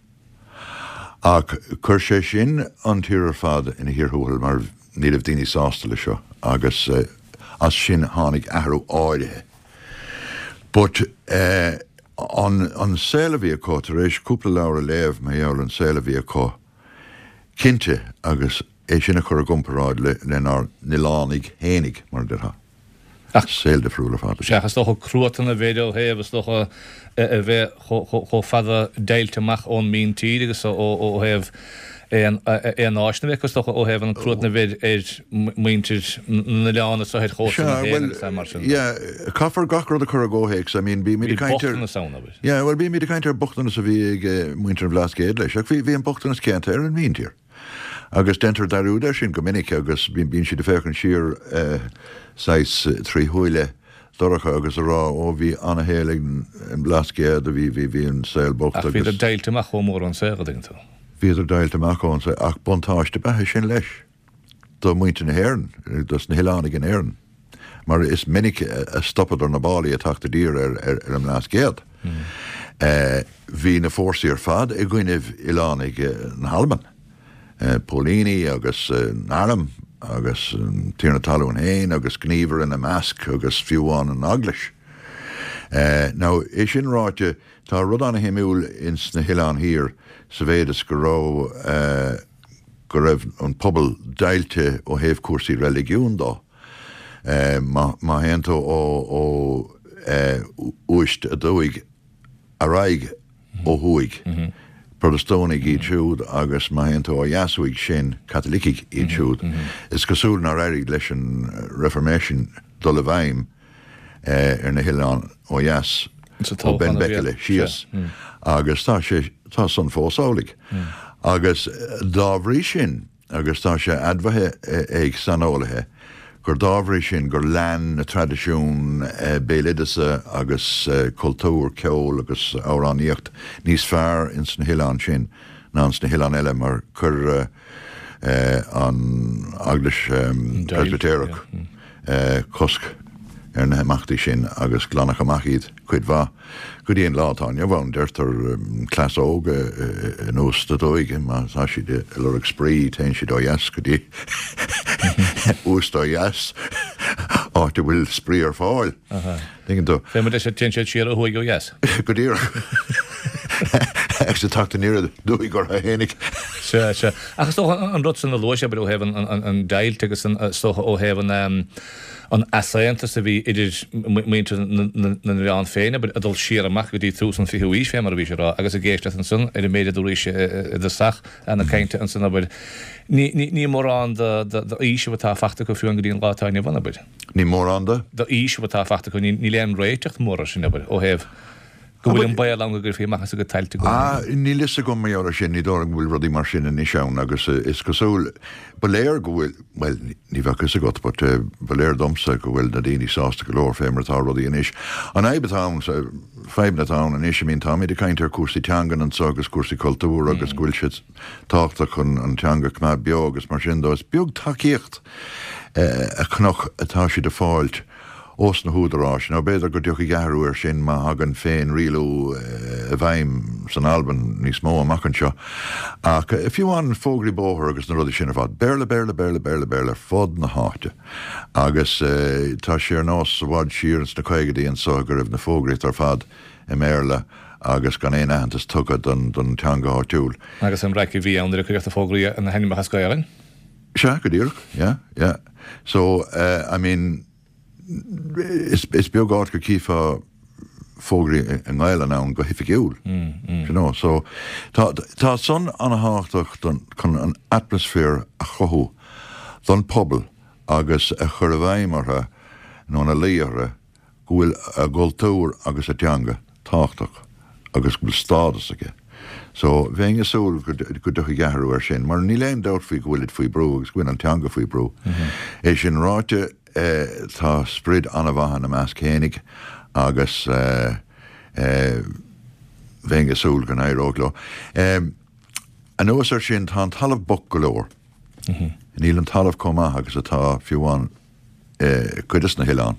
Ach chuir sé sin an tír ar fad ina chíor thuathail mar ní raibh daoine sásta le seo agus as sin tháinig athrú áirithe. But an an saol a bhí acu, tar éis cúpla leabhar a léamh mar gheall ar an saol a bhí acu, cinnte, agus é sin a chur i gcomparáid le lenár n-oileánaigh fhéinig, mar a déarfá. Ach saol difriúil ar fad. Sea, is dócha cruatan a bheith ó thaobh, is dócha, a bheith chomh fada deighilte amach ón míntír agus ó thaobh aon áiseanna a bheith acu, is dócha, ó thaobh an cruatan a bheith ar mhuintir na n-oileán is ar chósta na hÉireann agus mar sin de. Yeah, caithfear gach rud a chur i gcomhthéacs. I mean, bímid ag caint ar. Bhí bochtanas ann, abair. Yeah, bhuel, bímid ag caint ar bochtanas a bhí ag muintir an Bhlascaoid leis, ach bhí an bochtanas céanna ar an míntír. Agus déantar dearúd air sin go minic agus bíonn siad ag féachaint siar saghas trí shúile dorcha agus a rá, ó bhí ana-shaol ag an mBlascaod, bhí, bhí, bhí an saol bocht agus. Ach bhíodar deighilte amach chomh mór ón saol, a dtuigeann tú. Bhíodar deighilte amach ón saol, ach buntáiste ab ea é sin leis do mhuintir na hÉireann, dos na hoileánaigh in Éirinn. Mar is minic a stopadar na báillí ag teacht i dtír ar an mBlascaod. Bhí na fórsaí ar fad i gcoinnibh oileánaigh na hAlban, póilíní agus an arm agus an tiarna talún féin agus gníomhaire ina measc agus fiú amháin an Eaglais. Now, é sin ráite, tá rud ana-shuimiúil ins na hOileáin Thiar sa mhéid is go raibh, go raibh an pobal deighilte ó thaobh cúrsaí reiligiúin dó. Má théann tú ó Uist aduaidh ar aghaidh ó thuaidh, Protastúnaigh iad siúd agus má théann tú ó dheas uaidh sin, Caitlicigh iad siúd. Is cosúil nár éirigh leis an Reformation dul i bhfeidhm ar na hoileáin ó dheas, ó Benbecula síos, agus tá sé, tá san fós amhlaidh. Agus dá bhrí sin, agus tá sé admhaithe ag saineolaithe, gur dá bhrí sin gur lean na traidisiúin béaloideasa agus cultúr, ceol agus amhránaíocht níos fearr ins na hoileáin sin ná ins na hoileáin eile mar chuir an Eaglais Preispitéireach cosc ar na himeachtaí sin agus glanadh amach iad cuid mhaith. Go dtí an lá atá inniu ann, deirtear cleas óg in Uist Aduaidh, má tá siad ag lorg spraoi, téann siad ó dheas go dtí Uist ó dheas, áit a bhfuil spraoi ar fáil. Tuigeann tú? Fé mar deir téann siad siar ó thuaidh ó dheas. Go díreach. Agus ag teacht aniar aduaidh orthu fhéinig. Sea, sea. Ach is dócha an rud san a luaigh sé, ó thaobh an deighilt agus is dócha ó thaobh an an easaontas a bhí idir muintir na n-oileán féin, abair, ag dul siar amach go dtí tús an fichiú aois fé mar a bhí sé a rá, agus ag éisteacht ansan ar an méid a dúraís i dtosach na cainte ansan, abair, ní mórán d'fhaoiseamh atá fachta acu fiú go dtí an lá atá inniu ann, abair. Ní mórán de? D'fhaoiseamh atá fachta acu, níl aon réiteach mór air sin, abair, ó thaobh. Go bhfuil an baol ann go gcuirfí amach as a gcuid tailte go Ah, níl fhios agam mar gheall ar sin, ní dóigh liom go bhfuil rudaí mar sin anois ann agus is cosúil, ba léir go bhfuil, bhuel, ní bheadh fhios agat but ba léir domsa go bhfuil na daoine sásta go leor fé mar atá rudaí anois. An fhadhb atá ann, fadhbanna atá ann anois, I mean táimid ag caint ar cúrsaí teangan anseo agus cúrsaí cultúir agus go bhfuil siad tábhachtach chun an teanga a choimeád beo agus mar sin dó, is beag tacaíocht a chonac atá siad ag fáilt. ós na húdaráis, nó b'fhéidir go dtiocfaidh athrú air sin má thagann féin-rialú i bhfeidhm san Albain níos mó amach anseo. Ach fiú amháin fógraí bóthair agus na rudaí sin ar fad, Béarla, Béarla, Béarla, Béarla, Béarla ar fud na háite. Agus tá sé ar nós i bhfad siar ins na caogaidí anso go raibh na fógraíocht ar fad i mBéarla agus gan aon aitheantas tugtha don teanga áitiúil. Agus an raic a bhí ann nuair a cuireadh na fógraí na hainmneacha as Gaelainn? Sea, go díreach, yeah, yeah. So, I mean, is beag áit go gcífeá fógraí i nGaelainn ann go hoifigiúil. You know, so tá tá san an-thábhachtach don chun an atmaisféar a chruthú don pobal agus a chur i bhfeidhm orthu nó ina luí orthu go bhfuil a gcultúr agus a dteanga tábhachtach agus go bhfuil stádas aige. So bheinn ag súil go go dtiocfaidh athrú air sin mar níl aon dabht faoi go bhfuilid faoi brú agus go bhfuil an teanga faoi brú. É sin ráite, Tá sprid an-mhaith ina measc fhéinig agus bheinn ag súil go n-éireodh leo. Anuas air sin, tá an talamh bocht go leor. Níl an talamh chomh maith agus atá fiú amháin i gcuid des na hoileáin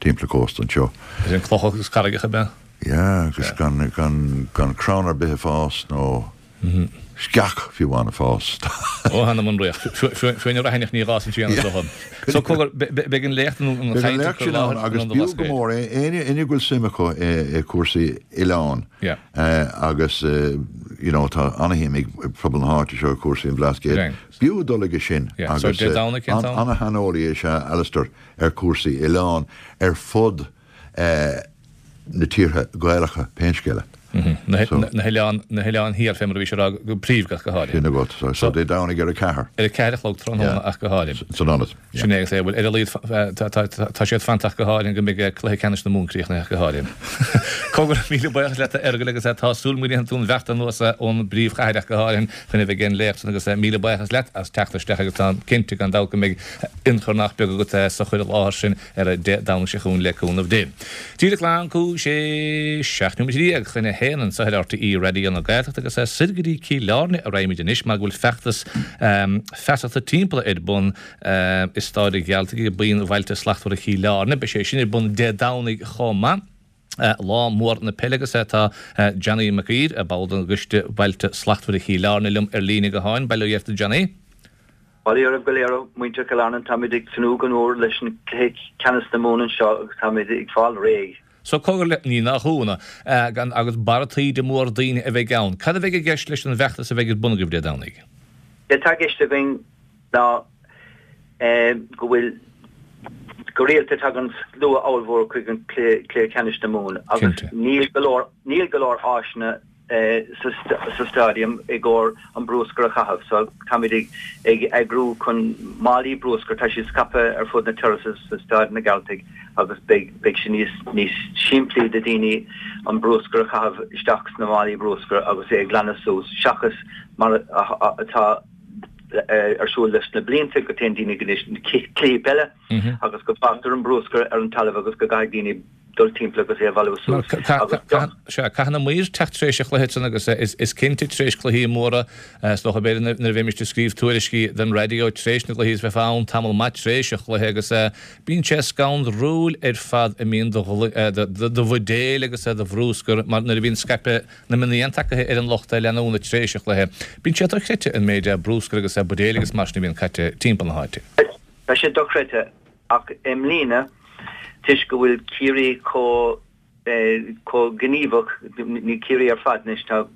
timpeall an chósta anseo. Is é an cloch agus carraigeacha ab ea? Yeah, agus gan gan crann ar bith ag fás nó sceach fiú amháin ag fás. Ó th'anam 'on fhraoch. Fiú an raithineach ní fhásann sí ann is dócha. So cogar, beidh an léacht nó an Beidh an chaint léacht curtha i sin ann láthair agus an b'fhiú go Blascaoid. mór é éinne éinne go bhfuil suim acu i i cúrsaí oileán Yeah. agus you know tá ana-shuim ag pobal na háite seo i cúrsaí an Bhlascaoid. Deimhin. B'fhiú dul aige sin Yeah. So agus Dé Domhnaigh cén t-am? ana-shaineolaí is ea Alistair ar cúrsaí oileán ar fud na tíortha Gaelacha pé scéal é. Na hoileáin, na hoileáin thiar fé mar a bhí sé a rá go príomha ach go háirithe. Sin agat. So, so Dé Domhnaigh ar a ceathair. Ar a ceathair a chlog tráthnóna ach go háirithe. San ionad. Sin é agus é, bhuel ar a laghad tá, tá, tá, tá siad fanta ach go háirithe go mbeidh cluiche ceannais na Mumhan críochnaithe ach go háirithe. Cogar, míle buíochas leat a Fheargail agus tá súil agam go ndéanfaidh tú an bheart anuas ón bpríomhchathair ach go háirithe chun a bheith ag an léacht san agus míle buíochas leat as teacht isteach agus táim cinnte gan dabht go mbeidh ionchur nach beag agat sa chur i láthair sin ar Dé Domhnaigh seo chugainn le cúnamh Dé. Díreach glan cúig sé seacht nóiméad déag chun a haon anseo ar RTÉ Raidió na Gaeltachta agus soir go dtí Cill Airne a raghaimid anois mar go bhfuil feachtas feasachta timpeall ar bun i Staid an Ghealtaigh ag Buíon Bhailte Slachtmhara Chill Airne. Beidh sé sin ar bun Dé Domhnaigh chomh maith. Lá mór na peile agus tá Johnny Mac Uidhir, ball den gCoiste Bailte Slachtmhara Chill Airne liom ar líne gutháin. Bail ó Dhia ort a Johnny. Bail ó Dhia oraibh go léir, a mhuintir Chill Airne. Táimid ag tnúth go mór leis an cluiche ceannais na Mumhan anseo agus táimid ag fáil réidh. So cogar le, ní nach ionadh, gan agus barra taoide mór daoine a bheidh ann. Cad a bheidh i gceist leis an bhfeachtas a bheidh ar bun agaibh Dé Domhnaigh? Sé atá i gceist againn ná go bhfuil, go rialta tagann slua ollmhór chuig an cluiche ceannais na Mumhan agus níl go leor, níl go leor áiseanna sa stadium i gcomhair an brúscar a chaitheamh so táimid ag ag eagrú chun málaí brúscair, tá siad scaipthe ar fud na terraces sa Staid na Gealtaigh agus beidh beidh sé níos níos simplí do daoine an brúscar a chaitheamh isteach sna málaí brúscair agus é a ghlanadh suas seachas mar atá ar siúl leis na blianta go dtéann daoine go dtí na cluichí peile agus go bhfágtar an brúscar ar an talamh agus go gcaithfidh daoine dul timpeall agus é a bhailiú suas agus Sea, caithfidh na maoir teacht tar éis an chluiche san agus is cinnte tar éis cluichí móra, is dócha b'fhéidir nuair a bheimis ag scríobh tuairiscí don raidió tar éis na gcluichí is bheifeá ann tamall maith tar éis an chluiche agus bíonn sé scanrúil ar fad a mbíonn de bhuidéil agus de bhrúscar mar nuair a bhíonn scaipeadh na mionnaí tagtha ar an lucht leanúna tar éis an chluiche bíonn sé dochreidte an méid brúscar agus buidéil agus mar sin a bhíonn caite timpeall na háite. Tá sé dochreidte. Ach i mbliana, toisc go bhfuil Ciarraí chomh chomh gníomhach, ní Ciarraí ar fad anois, tá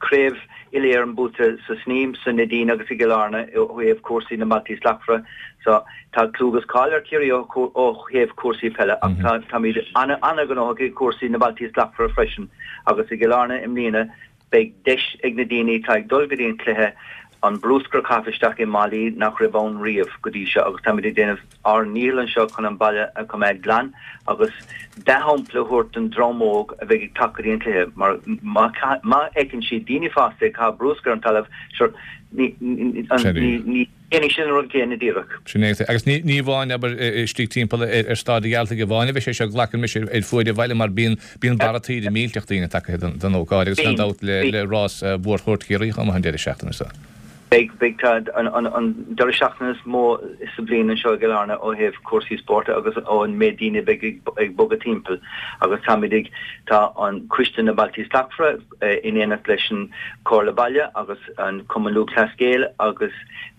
craobh uile-Éireann buaite sa Sneem, sa Neidín agus i gCill Airne ó thaobh cúrsaí na mBailtí Slachtmhara. So tá clú agus cáil ar Chiarraí ó thaobh cúrsaí peile ach tá táimid an-ghnóthach i gcúrsaí na mBailtí Slachtmhara freisin agus i gCill Airne i mbliana beidh deis ag na daoine atá ag dul go dtí an cluiche an bruscar a chaitheamh isteach i málaí nach raibh ann riamh go dtí seo agus táimid ag déanamh ár ndícheall anseo chun an baile a choimeád glan agus dea-shampla a thabhairt don dream óg a bheidh ag teacht go dtí an cluiche mar má fheiceann siad daoine fásta ag caitheamh bruscar ar an talamh, sure, ní ní dhéanfaidh siad an rud céanna díreach. Sin é. Agus ní ní amháin, abair, istigh timpeall ar Staid an Ghealtaigh amháin a bheidh sé seo, glacann mise ar fuaid an bhaile mar bíonn bíonn barra taoide millteach daoine tagtha don don ócáid agus gan dabht le le rás mhór Chuairt Chiarraí chomh maith an deireadh seachtaine seo. Beidh beidh tá an an an deireadh seachtaine is mó sa bhliain anseo i gCill Airne ó thaobh cúrsaí spóirt agus ón méid daoine a bheidh ag ag bogadh timpeall agus táimid ag tá an Coiste na Bailtí Slachtmhara in éineacht leis an Comhairle Baile agus an Cumann Lúthchleas Gael agus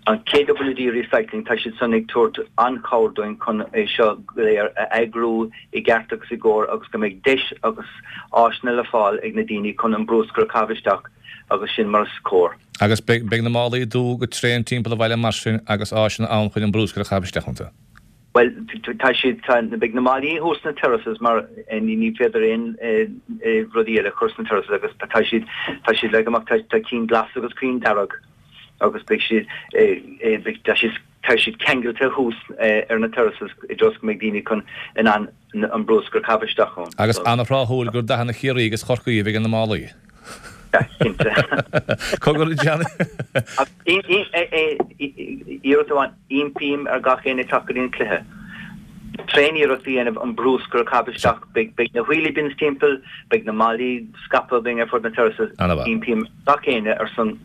an KWD Recycling, tá siad san ag tabhairt an-chabhair dúinn chun é seo go léir a eagrú i gceart agus i gcóir agus go mbeidh deis agus áiseanna le fáil ag na daoine chun an bruscar a chaitheamh isteach agus sin mar is cóir. Agus beidh na málaí dubha go tréan timpeall an bhaile mar sin agus áiseanna ann chun an bruscar a chaitheamh isteach iontu. Bhuel, tá siad, tá, beidh na málaí thuas sna terraces mar ní ní féidir aon rudaí eile a chur sna terraces agus tá siad, tá siad leagtha amach, tá, tá cinn glas agus cinn dearg agus beidh siad, beidh, tá siad, tá siad ceangailte thuas ar na terraces i dtreo go mbeidh daoine chun, in ann an bruscar a chaitheamh isteach ann. Agus an-thráthúil gur dathanna Chiarraí agus Chorcaí a bheidh ar na málaí. Cinnte. Cogar a Johnny. Iarracht amháin, impím ar gach éinne teacht go dtí an cluiche. Tréan-iarracht a dhéanamh an bruscar a chaitheamh isteach. Beidh na wheelie bins timpeall, beidh na málaí scaipthe againn ar fud na terraces. Impím gach éinne ar son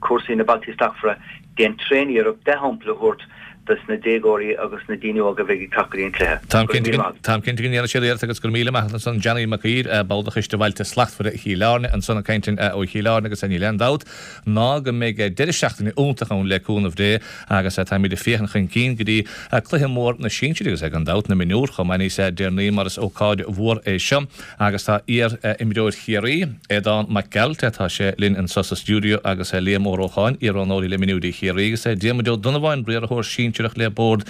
cúrsaí na Bailtí Slachtmhara, déan tréan-iarracht dea-shampla a thabhairt dos na déagóirí agus na daoine óga a bheidh ag teacht go dtí an cluiche. Táim cinnte go ndéanfaidh siad iarracht agus go raibh míle maith agat ansan Johnny Mac Uidhir, ball de Choiste Bhailte Slachtmhara Chill Airne ansan ag caint ó Chill Airne agus níl aon dabht ná go mbeidh deireadh seachtaine iontach ann le cúnamh Dé agus táimid ag féachaint chun cinn go dtí cluiche mór na sinsir agus gan dabht na mionúr chomh maith níos deireanaí mar is ócáid mhór é seo agus tá iar-imreoir Chiarraí, Aodán Mac Gearailt, tá sé linn anso sa stiúideo agus Liam Ó Rócháin, iar-roghnóirí le mionúirí Chiarraí agus Diarmuid Ó Donnabháin, riarthóir sinsearach le Bord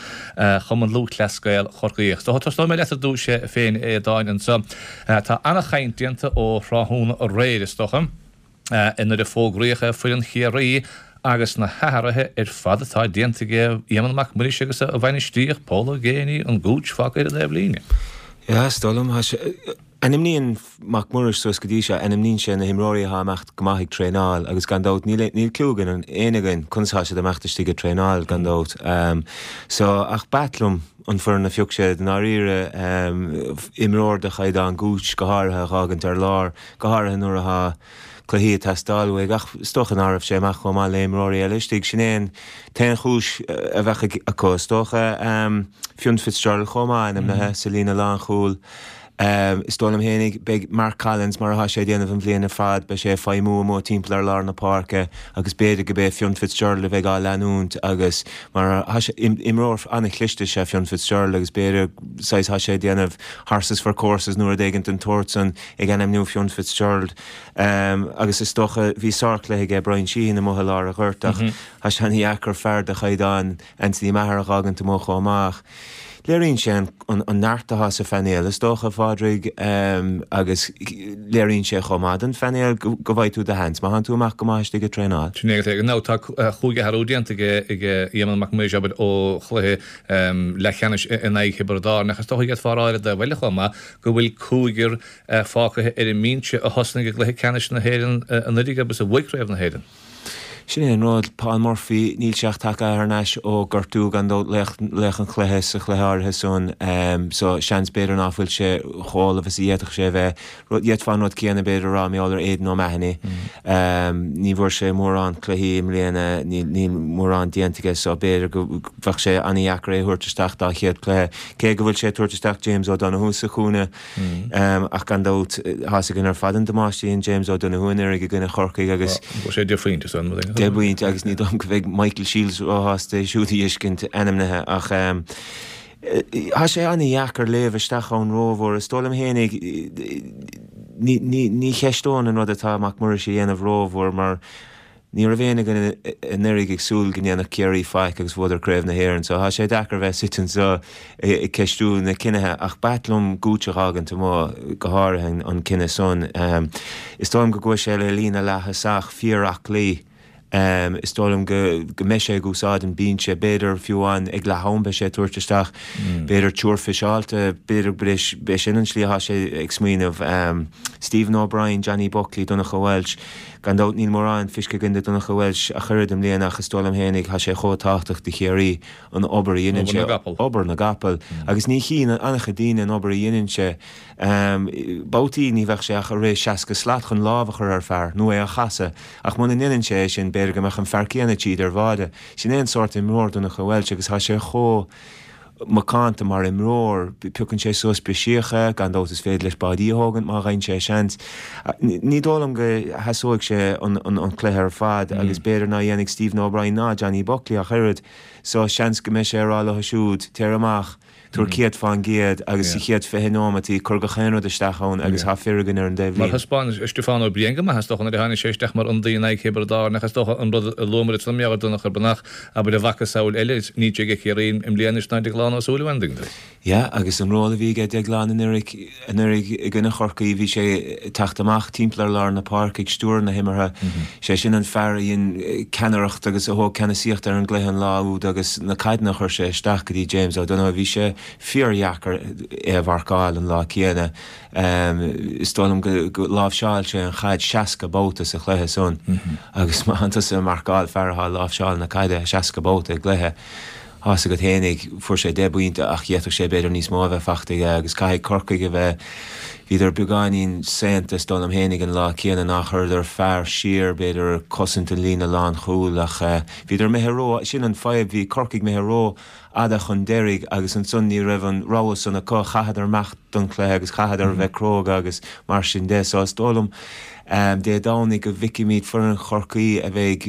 Chumann Lúthchleas Gael Chorcaí. Tosóidh mé leat ar dtús féin, a Aodáin, anso. Tá an-chaint déanta ó thráthnóna aréir, is dócha, nuair a fógraíodh foireann Chiarraí agus na hathruithe ar fad atá déanta ag Éamonn Mac Muiris agus a bhainistíocht, Pól Ó Géibheannaigh, an Gooch fágtha ar an taobhlíne. Yeah, is dóigh liom, ainmníonn Mac Muiris suas go dtí seo, ainmníonn sé na himreoirí atá ag imeacht go maith ag traenáil agus gan dabht níl níl cliú againn, éinne againn, conas atá siad ag imeacht istigh ag traenáil gan dabht. So, ach b'ait liom an foireann a phioc sé i ndáiríre, imreoir de chaighdeán Gooch go háirithe a dh'fhágaint ar lár, go háirithe nuair atá cluichí ag teastáil uaidh ach is dócha ná raibh sé amach chomh maith le imreoirí eile istigh. Sin é an t-aon chúis a bheadh acu is dócha. Fionn Fitzgerald chomh maith ainmnithe sa líne lánchúil. Is dóigh liom fhéinig, beidh Mark Collins, mar atá sé ag déanamh an bhliain ar fad, beidh sé ag feidhmiú amuigh timpeall ar lár na páirce agus b'fhéidir go b'é Fionn Fitzgerald a bheidh á leanúint agus mar tá sé, imreoir an-chliste is ea Fionn Fitzgerald agus b'fhéidir saghas tá sé ag déanamh horses for courses nó rud éigint den tsórt san ag ainmniú Fionn Fitzgerald. Agus is dócha, bhí sárchluiche aige Brian Sheehan amuigh i lár an ghoirt ach tá sé ana-dheacair fear de chaighdeán Anthony Maher a dh'fhágaint amuigh chomh maith. Léiríonn sé an neart atá sa phainéal, is dócha, a Phádraig, agus léiríonn sé chomh maith don phainéal go bhfaighidh tú do sheans má thánn tú amach go maith istigh ag traenáil. Sin é. Now tá chúig athrú déanta ag Éamonn Mac Muiris, abair, ó chluiche leathcheannais in aghaidh Thiobraid Árann ach is dócha d'fhéadfá a rá ar an dtaobh eile chomh maith go bhfuil cúigear fágtha ar an mbinse a thosnaigh i gcluiche ceannais na hÉireann anuraidh agus a bhuaigh Craobh na hÉireann. Sin é an rud, Paul Murphy, níl sé ach tagtha thar n-ais ó gortú gan dabht, laoch, laoch an chluiche sa chluiche áirithe san, so seans b'fhéidir ná fuil sé chomh ullamh is a d'fhéadfadh sé a bheith. Rud, d'fhéadfá an rud céanna b'fhéidir a rá mar gheall ar Aidan O'Mahony. Ní bhfuair sé mórán cluichí i mbliana, níl, níl mórán déanta aige so b'fhéidir go bheadh sé an-dheacair é a thabhairt isteach dá chéad chluiche, cé go bhfuil sé ag tabhairt isteach James O'Donoghue sa chúinne. Ach gan dabht, tá's againn ar fad an damáiste a dhein James O'Donoghue anuraidh i gcoinne Chorcaigh agus. Fuair sé deich bpointe san, rud éigin. Deich bpointe agus ní dóigh liom go mbeidh Michael Shields róshásta é siúd a fheiscint ainmnithe ach tá sé an-dheacair léamh isteach ann rómhór. Is dóigh liom fhéinig, ní, ní, ní cheisteoinn an rud atá Mac Muiris a dhéanamh rómhór mar ní raibh éinne againn anuraidh ag súil go ndéanfadh Ciarraí faic agus bhuadar Craobh na hÉireann so tá sé deacair bheith suite anseo ag ceistiú na cinnithe ach b'ait liom Gooch a dh'fhágaint amuigh, go háirithe an cinneadh san. Is dóigh liom go gcuaigh sé le líne leath-thosach fíor-aclaí. Is dóigh liom go go mbeidh sé ag úsáid an binse, b'fhéidir fiú amháin ag leath am beidh sé ag tabhairt isteach b'fhéidir triúr fiseáilte, b'fhéidir b'é sin an slí atá sé ag smaoineamh. Stephen O'Brien, Johnny Buckley, Donncha Walsh, gan dabht níl mórán feicthe againn de Donncha Walsh ach oiread i mbliana ach is dóigh liom fhéinig tá sé chomh tábhachtach do Chiarraí an obair a dheineann sé, obair na gcapall agus ní chíonn an-chuid daoine an obair a dheineann sé. Babhtaí ní bheadh sé ach ag rith seasca slat chun lámh a chur ar fear nó é a chasadh ach muna ndeineann sé é sin b'fhéidir go mbeadh an fear céanna tríd ar bháide. Sin é an sórt imreoir Donncha Walsh agus tá sé chomh macánta mar imreoir. Piocann sé suas briseacha, gan dabht is féidir leis báidí a thógaint má fhaigheann sé seans. Ní dóigh liom go sheasóidh sé an cluiche ar fad agus b'fhéidir ná dhéanfaidh Stephen O'Brien ná Johnny Buckley ach oiread so seans go mbeidh sé ag rá leo siúd, téir amach, Tabhair céad fán gcéad agus sa chéad fiche nóimeataí cuir gach aon rud isteach ann agus tá fir againn ar an dtaobhlíne. Mar thaispeáin Stiofán Ó Briain go maith is dócha nuair a tháinig sé isteach mar ionadaí in aghaidh Thiobraid Árann ach is dócha an rud a luamar ansan mar gheall ar Donncha Breathnach abair a mhacasamhail eile níl sé ag Ciarraí i mbliana anois ná Deaglán Ó Súilleabháin an dtuigeann tú. Yeah agus an ról a bhí aige Deaglán anuraidh anuraidh i gcoinne Chorcaí bhí sé ag teacht amach timpeall ar lár na páirce ag stiúradh na himeartha. Sé sin an fear a dhein ceannaireacht agus a thóg ceannasaíocht ar an gcluiche an lá úd agus na caideanna a chuir sé isteach go dtí James O'Donoghue bhí sé fíordheacair é a mharcáil an lá céanna. Is dóigh liom go láimhseáil sé an chaid seasca babhta sa chluiche san agus má thánn tusa ag marcáil fear atá ag láimhseáil na caide seasca babhta i gcluiche, tá's agat fhéinig, fuair sé deich bpointe ach d'fhéadfadh sé b'fhéidir níos mó a bheith fachta aige agus caithfidh Corcaigh a bheith, bhíodar beagáinín saonta is dóigh liom fhéinig an lá céanna nár chuireadar fear siar b'fhéidir ag cosaint an líne lánchúil ach bhíodar imithe ró, sin an fadhb, bhí Corcaigh imithe ró fhada chun deiridh agus ansan ní raibh an rogha san acu, chaitheadar imeacht don chluiche agus chaitheadar a bheith cróga agus mar sin de. So is dóigh liom Dé Domhnaigh go bhficfimid foireann Chorcaí a bheidh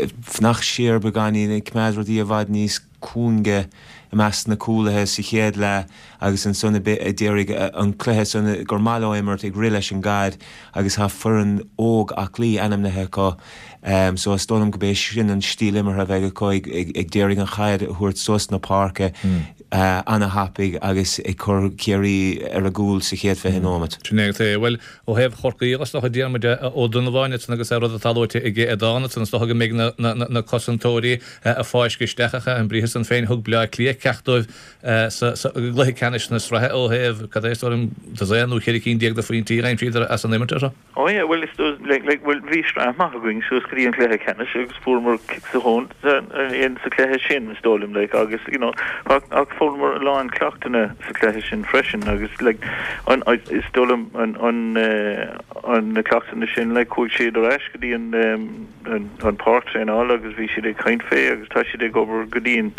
ag fanacht siar beagáinín, ag coimeád rudaí i bhfad níos cúinge i measc na cúlaithe sa chéad leath agus ansan ag iarraidh an cluiche san gur maith leo imirt, ag rith leis an gcaid agus tá foireann óg aclaí ainmnithe acu. So is dóigh liom go b'é sin an stíl imeartha a bheidh acu, ag d'iarraidh an chaid a thabhairt suas na páirce ana-thapaidh agus ag cur Ciarraí ar a gcúl sa chéad fiche nóimeat. Sin é agus é. Bhuel, ó thaobh Chorcaí dhe, is dócha Diarmuid Ó Donnabháin ansan agus an rud atá luaite aige Aodán ansan, is dócha go mbeidh na cosantóirí ag fáisceadh isteach ach an briathar san féin, thug Bleá Cliath ceacht dóibh sa gcluiche ceannais na sraithe ó thaobh, cad é is dóigh liom, dosaen nó ceithre cinn déag de phointí a d'aimsíodar as an imirt orthu. Oh yeah, bhuel is dóigh, like, like, bhuel bhí sraith maith againn suas go dtí an cluiche ceannais agus fuaireamar cic sa thóin in sa cluiche sin is dóigh liom, like, agus, you know, ach, ach fuaireamar a lán ceachtanna sa cluiche sin freisin agus, like, an, is dóigh liom an, an, eh, an, na ceachtanna sin, like, chuaigh siad ar ais go dtí an, um, an, an páirc traenála agus bhí siad ag caint fé agus tá siad ag obair go dian,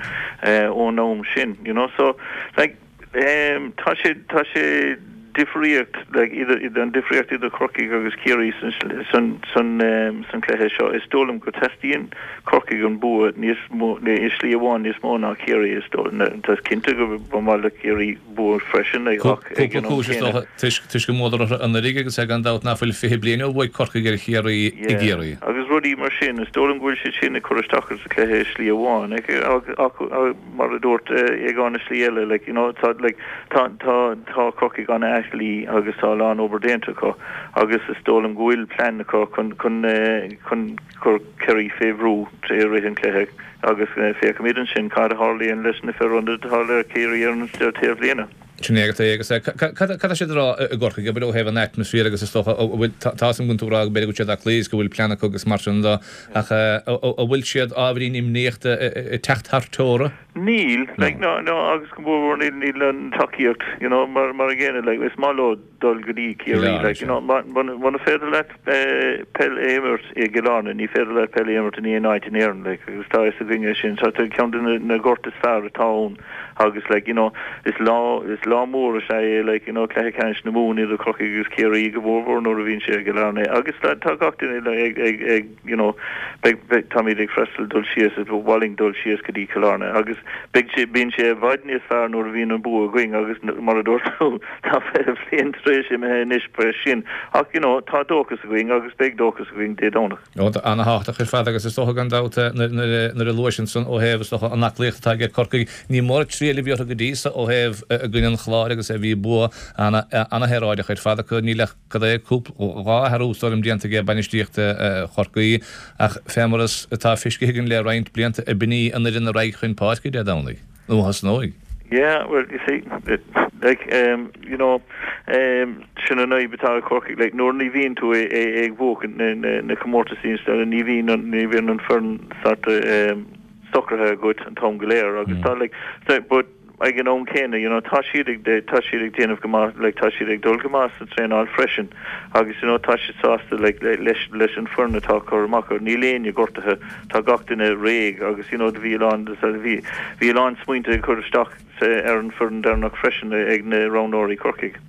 eh, ón am sin, you know, so, like, Tá sé, tá sé difríocht, like, idir, idir, an difríocht idir Corcaigh agus Ciarraí san, san, san, san cluiche seo. Is dóigh liom go teastaíonn Corcaigh an bua níos mó, i slí amháin níos mó ná Ciarraí, is dóigh. Tá cinnte go ba mhaith le Ciarraí bua freisin, like, ach ag Cúpla an am cúis, is céanna. dócha, toisc, toisc go mbuadar orthu anuraidh agus é gan dabht ná fuil fiche bliain ó bhuaigh Corcaigh ar Chiarraí i Yeah, gCiarraí. agus rudaí mar sin, is dóigh liom go bhfuil siad sin ag cur isteach sa chluiche i slí amháin, like, ach, ach, Mar a dúirt Aogán i slí eile, like, you know, tá, like, tá, tá, tá Corcaigh an-aclaí agus tá a lán obair déanta acu agus is dóigh liom go bhfuil plean acu chun, chun, chun cur Ciarraí fé bhrú i rith an chluiche agus féachfaimid ansin cad a tharlaíonn leis na fir atá le Ciarraí ar an taobhlíne. Sin é agat é agus cad tá siad a rá i gCorcaigh, abair, ó thaobh an atmaisféir agus is dócha, an bhfuil, tá a fhios agam go bhfuil tú ag rá go b'fhéidir go bhfuil siad aclaí agus go bhfuil plean acu agus mar sin de ach an bhfuil siad ábhairín imníoch ag teacht thar teora? Níl, like, no, no, agus go mór mhór níl, níl an tacaíocht, you know, mar, mar an gcéanna, like, is maith leo dul go dtí Ciarraí, like, you know, muna féidir leat peil a imirt i gCill Airne, ní féidir leat peil a imirt in aon áit in Éirinn, like, agus tá a fhios againn é sin, tá ceann de na goirt is fearr atá ann. Agus like you know is lá is lá mór is ea é like you know cluiche ceannais na Mumhan idir Corcaigh agus Ciarraí go mór mhór nuair a bhíonn sé i gCill Airne agus tá tá gach duine like ag ag ag you know beidh beidh táimid ag freastal dul síos is ba mhaith linn dul síos go dtí Cill Airne agus beidh sé, bíonn sé i bhfad níos fearr nuair a bhíonn an bua againn agus mar a dúirt tú, tá fiche bliain tar éis imithe anois faoi sin. Ach, you know, tá dóchas againn agus beidh dóchas againn Dé Domhnaigh. Rud ana-thábhachtach ar fad agus is dócha gan dabht nuair a luais ansan ó thaobh is dócha an aclaíocht atá aige Corcaigh, ní mór triail a bhí orthu go dtí so ó thaobh i gcoinne an Chláir agus bhí bua ana-shaoráideach ar fad acu. Níl ach cad é cúpla, dhá athrú is dóigh liom déanta aige bainistíocht Chorcaí ach fé mar is atá feicthe againn le roinnt blianta ab in í an fhoireann a raghaidh chun páirce Dé Domhnaigh, nó a thosnóidh. Yeah, well, you see, like, um, you know, um, sin an fhadhb atá ag Corcaigh, like, nuair ní bhíonn tú ag buachan na, na, na comórtaisí ní bhíonn an, ní bhíonn an foireann sort of, um, socraithe agat an t-am go léir agus tá, like, so, but ag an am céanna, you know, tá siad ag, tá siad ag déanamh go maith, like, tá siad ag dul go maith sa traenáil freisin agus, you know, tá siad sásta, like, leis, leis an foireann atá curtha amach acu. Níl éinne gortaithe, tá gach duine réidh agus, you know, bhí a lán, bhí, bhí a lán smaointe ag cur isteach ar an foireann deireanach freisin ag na roghnóirí Corcaigh.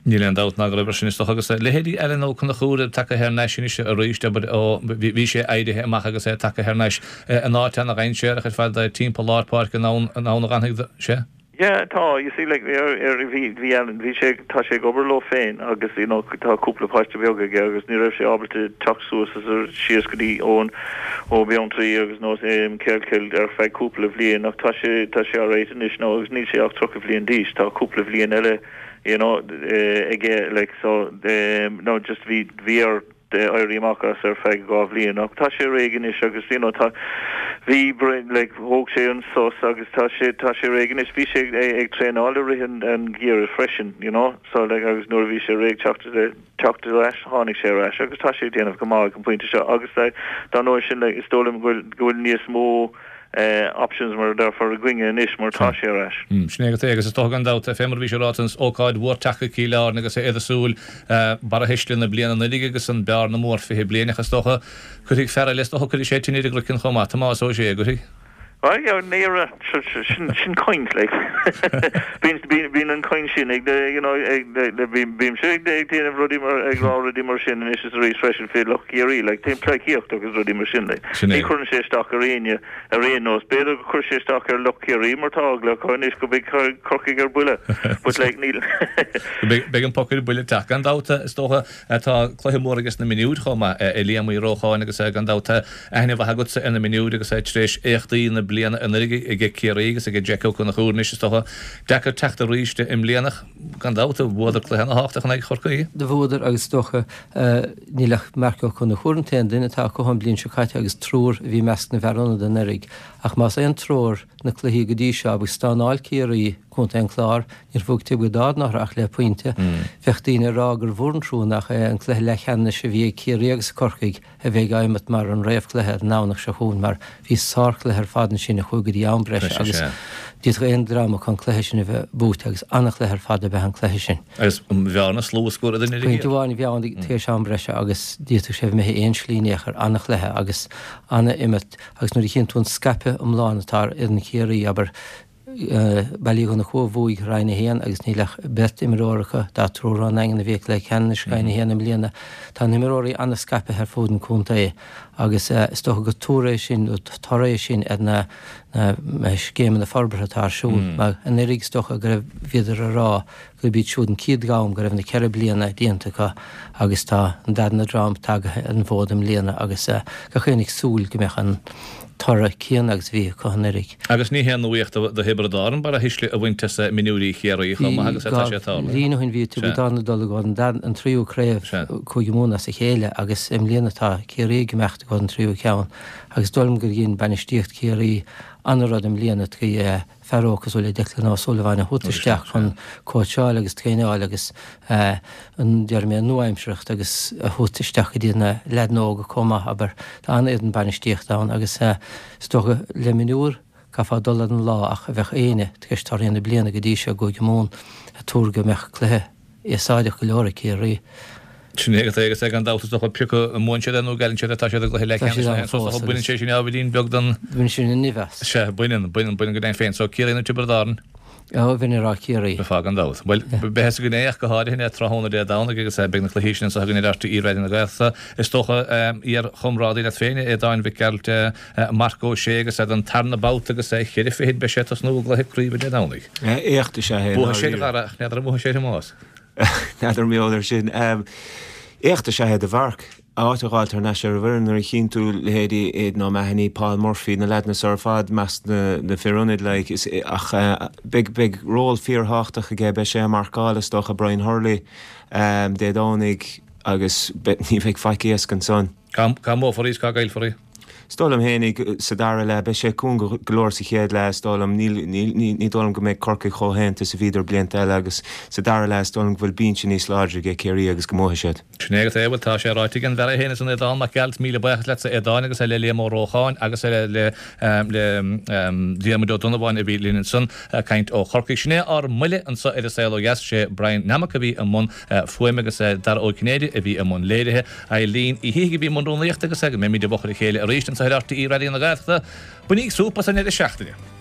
Níl aon dabht ná go raibh air sin is dócha agus leithéidí Alan Ó Conchúir tagtha thar n-ais anois arís, abair, ó bhí sé éirithe amach agus é tagtha thar n-ais in áit ana-dhainséarach ar fad timpeall lár páirce an ann a dh'fhanfaidh sé. Yeah, tá, you see, like, ar, ar, bhí, bhí Alan, bhí sé, tá sé ag obair leo féin agus, you know, tá cúpla páiste beag aige agus ní raibh sé ábalta teacht suas is síos go dtí ón, ó Beanntraí agus nó Kealkill ar feadh cúpla bhliain ach tá sé, tá sé alright anois now agus níl sé ach tríocha bhliain d'aois, tá cúpla bhliain eile you know, aige, like, so, no, just bhí, bhí air éirí amach as ar feadh dhá bhliain ach tá sé réidh anois agus, you know, tá, bhí, like, thóg sé an sos agus tá sé, tá sé réidh anois. Bhí sé ag traenáil i rith an, an gheimhridh freisin, you know, so, like, agus nuair a bhí sé réidh teacht, teacht ar ais, tháinig sé ar ais agus tá sé ag déanamh go maith ag an bpointe seo agus, like, dá ndóigh sin, like, is dóigh liom go bhfuil, go bhfuil níos mó, options mar a déarfá againne anois mar tá sé ar ais. Sin é agat é agus is dócha gan dabht, fé mar a bhí sé ráite, an ócáid mhór teacht go Cill Airne agus iad ag súil barra thuisle na bliana anuraidh agus an bearna mór fiche bliain ach is dócha cuirfidh fear eile, is dócha cuirfidh sé tine ar an gcraiceann chomh maith, Tomás Ó Sé, an gcuirfidh? Sin sin caint like bíonn bíonn an chaint sin ag you know ag bímse ag déanamh rudaí mar ag rá rudaí mar sin anois is arís freisin fé lucht Chiarraí like pleidhcíocht agus rudaí mar sin like. Ní chuireann sé isteach ar éinne Ar aon nós, b'fhéidir gur chuir sé isteach ar lucht Chiarraí mar tá eagla acu anois go mbeidh Corcaigh ar buile. But like, níl. Beidh an poc ar buile ag teacht. Gan dabht, is dócha, tá cluiche mór ages na mionúir chomh maith, a Liam Uí Rócháin agus gan dabht aithne mhaith agatsa ar na mionúir agus tar éis éachtaí na bliana anuraidh aige Ciarraí agus aige Jeaic Ó Conchúir anois, is dócha, deacair teacht arís i mbliana ach gan dabht, bhuadar cluiche ana-thábhachtach in aghaidh Chorcaí. Do bhuadar agus is dócha Níl ach Marc Ó Conchúir an t-aon duine atá acu ón bliain seo caite agus triúr a bhí i measc na bhfear ionad anuraidh. Ach más aon treoir na cluichí go dtí seo agus stánáil Ciarraí Contae an Chláir, níor bhuaigh Tiobraid Árann orthu ach le pointe. Bheadh daoine ag rá gur mhór an trua nach é an cluiche leathcheannais a bhí ag Ciarraí agus Corcaigh a bheidh ag imeacht mar an réamhchluiche ar an nDomhnach seo chugainn mar bhí sárchluiche ar fad ansin a chuaigh go dtí am breise agus d'fhéadfadh aon dream acu an cluiche sin a bheith buaite agus an-chluiche ar fad ab ea an cluiche sin. Agus an bhearna slua scór idir na Pointe amháin a bhí ann tar éis am breise agus d'fhéadfadh sé a bheith imithe aon slí in aon chor, an-chluiche agus an-imirt agus nuair a chíonn tú an scaipeadh iomlán atá ar fhoireann Chiarraí, abair, Baile Uí Dhonnchú a bhuaigh Roinn a haon agus níl ach beirt imreoir acu, dá triúr ón nDaingean a bhí ag cluiche ceannais Roinn a haon i mbliana. Tá na himreoirí an-scaipthe ar fud an chontae agus is dócha gur toradh é sin, nó toradh é sin ar na scéimeanna forbartha atá ar siúl. Mar anuraidh is dócha go raibh, bhíodar ag rá gurb iad siúd an chéad dream go raibh na ceithre bliana déanta acu agus tá an darna dream tagtha ar an bhfód i mbliana agus gach éinne ag súil go mbeadh an toradh céanna agus a bhí acu anuraidh. Agus ní haon nuaíocht do Thiobraid Árann barra thuisle a bhaint as mionúirí Chiarraí chomh maith agus atá sé ag tarlú. Dhá bhliain ó shin bhí Tiobraid Árann ag dul i gcomhair an tríú craobh Cúige Mumhan as a chéile agus i mbliana tá Ciarraí ag imeacht i gcomhair an tríú ceann agus is dóigh liom gur dhein bainistíocht Chiarraí an-rud i mbliana trí fear óg cosúil le Declan O'Sullivan a thabhairt isteach chun cóitseáil agus traenáil agus an, déarfaidh mé, an nua-aimsearthacht agus a thabhairt isteach go dtí na leaideanna óga chomh maith, abair. Tá an-fhoireann bainistíochta ann agus is dócha le mionúir caithfeá dul ar an lá ach bheadh éinne tar éis torthaí na bliana go dtí seo i gCúige Mumhan ag tuar go mbeadh cluiche úsáideach go leor ag Ciarraí. Sin é agat é agus é gan dabht is dócha pé acu a mbuann siad é nó a gcailleann siad é tá siad i gcluiche leathcheannais na hÉireann so is dócha baineann sé sin ábhairín beag den Baineann sin an nimh as. Sea, baineann, baineann, baineann go deimhin féin. So Ciarraí nó Tiobraid Árann? Ó, bheinn ag rá Ciarraí. Bheifeá gan dabht. Bhuel, beidh a fhios againn é ach go háirithe tráthnóna Dé Domhnaigh agus beidh na cluichí sin anseo againn ar RTÉ Raidió na Gaeltachta. Is dócha iar-chomrádaí leat féin, Aodáin Mhic Gearailt, Marc Ó Sé agus don tarna babhta agus ceithre fichid beidh sé ag tosnú i gcluiche craoibhe Dé Domhnaigh. Éacht is ea é. Buafaidh sé ar Dhara ach n'fheadar an mbuafaidh sé ar Thomás. N'fheadar mar gheall air sin. Éacht is ea é do Mharc. Áit a fháil thar n-ais ar an bhfoireann nuair a chíonn tú leithéidí Aidan O'Mahony, Paul Murphy, na leaideanna so ar fad i measc na fir ionaid like is ach beidh beidh ról fíorthábhachtach aige, beidh sé ag marcáil is dócha Brian Hurley Dé Domhnaigh agus ní bheidh faic éasca ansan. Cá mbuafar í is cá gcaillfear í? Is dóigh liom fhéinig sa dara leath, beidh sé cúng go leor sa chéad leath, is dóigh liom. Níl, níl, ní, ní dóigh liom go mbeidh Corcaigh chomh haonta is a bhíodar blianta eile agus sa dara leath is dóigh liom go bhfuil binse níos láidre aige Ciarraí agus go mbuafaidh siad. Sin é agat é, bhuel tá sé ráite ag an bhfear é féin is an Aodán Mac Gearailt, míle buíochas leatsa Aodáin agus le Liam Ó Rócháin agus le, le, le Diarmuid Ó Donnabháin a bhí linn ansan ag caint ó Chorcaigh. Sin é ár mbuille anso ar An Saol Ó Dheas, sé Brian Nammock a bhí i mbun fuaime agus Dara Ó Cinnéide a bhí i mbun léirithe. Eileen Uí Shíthigh a bhí i mbun rúnaíochta agus go mbeimid i bhfochair a chéile arís anseo ar RTÉ Raidió na Gaeltachta. Bainíg súp as an ndeireadh seachtaine.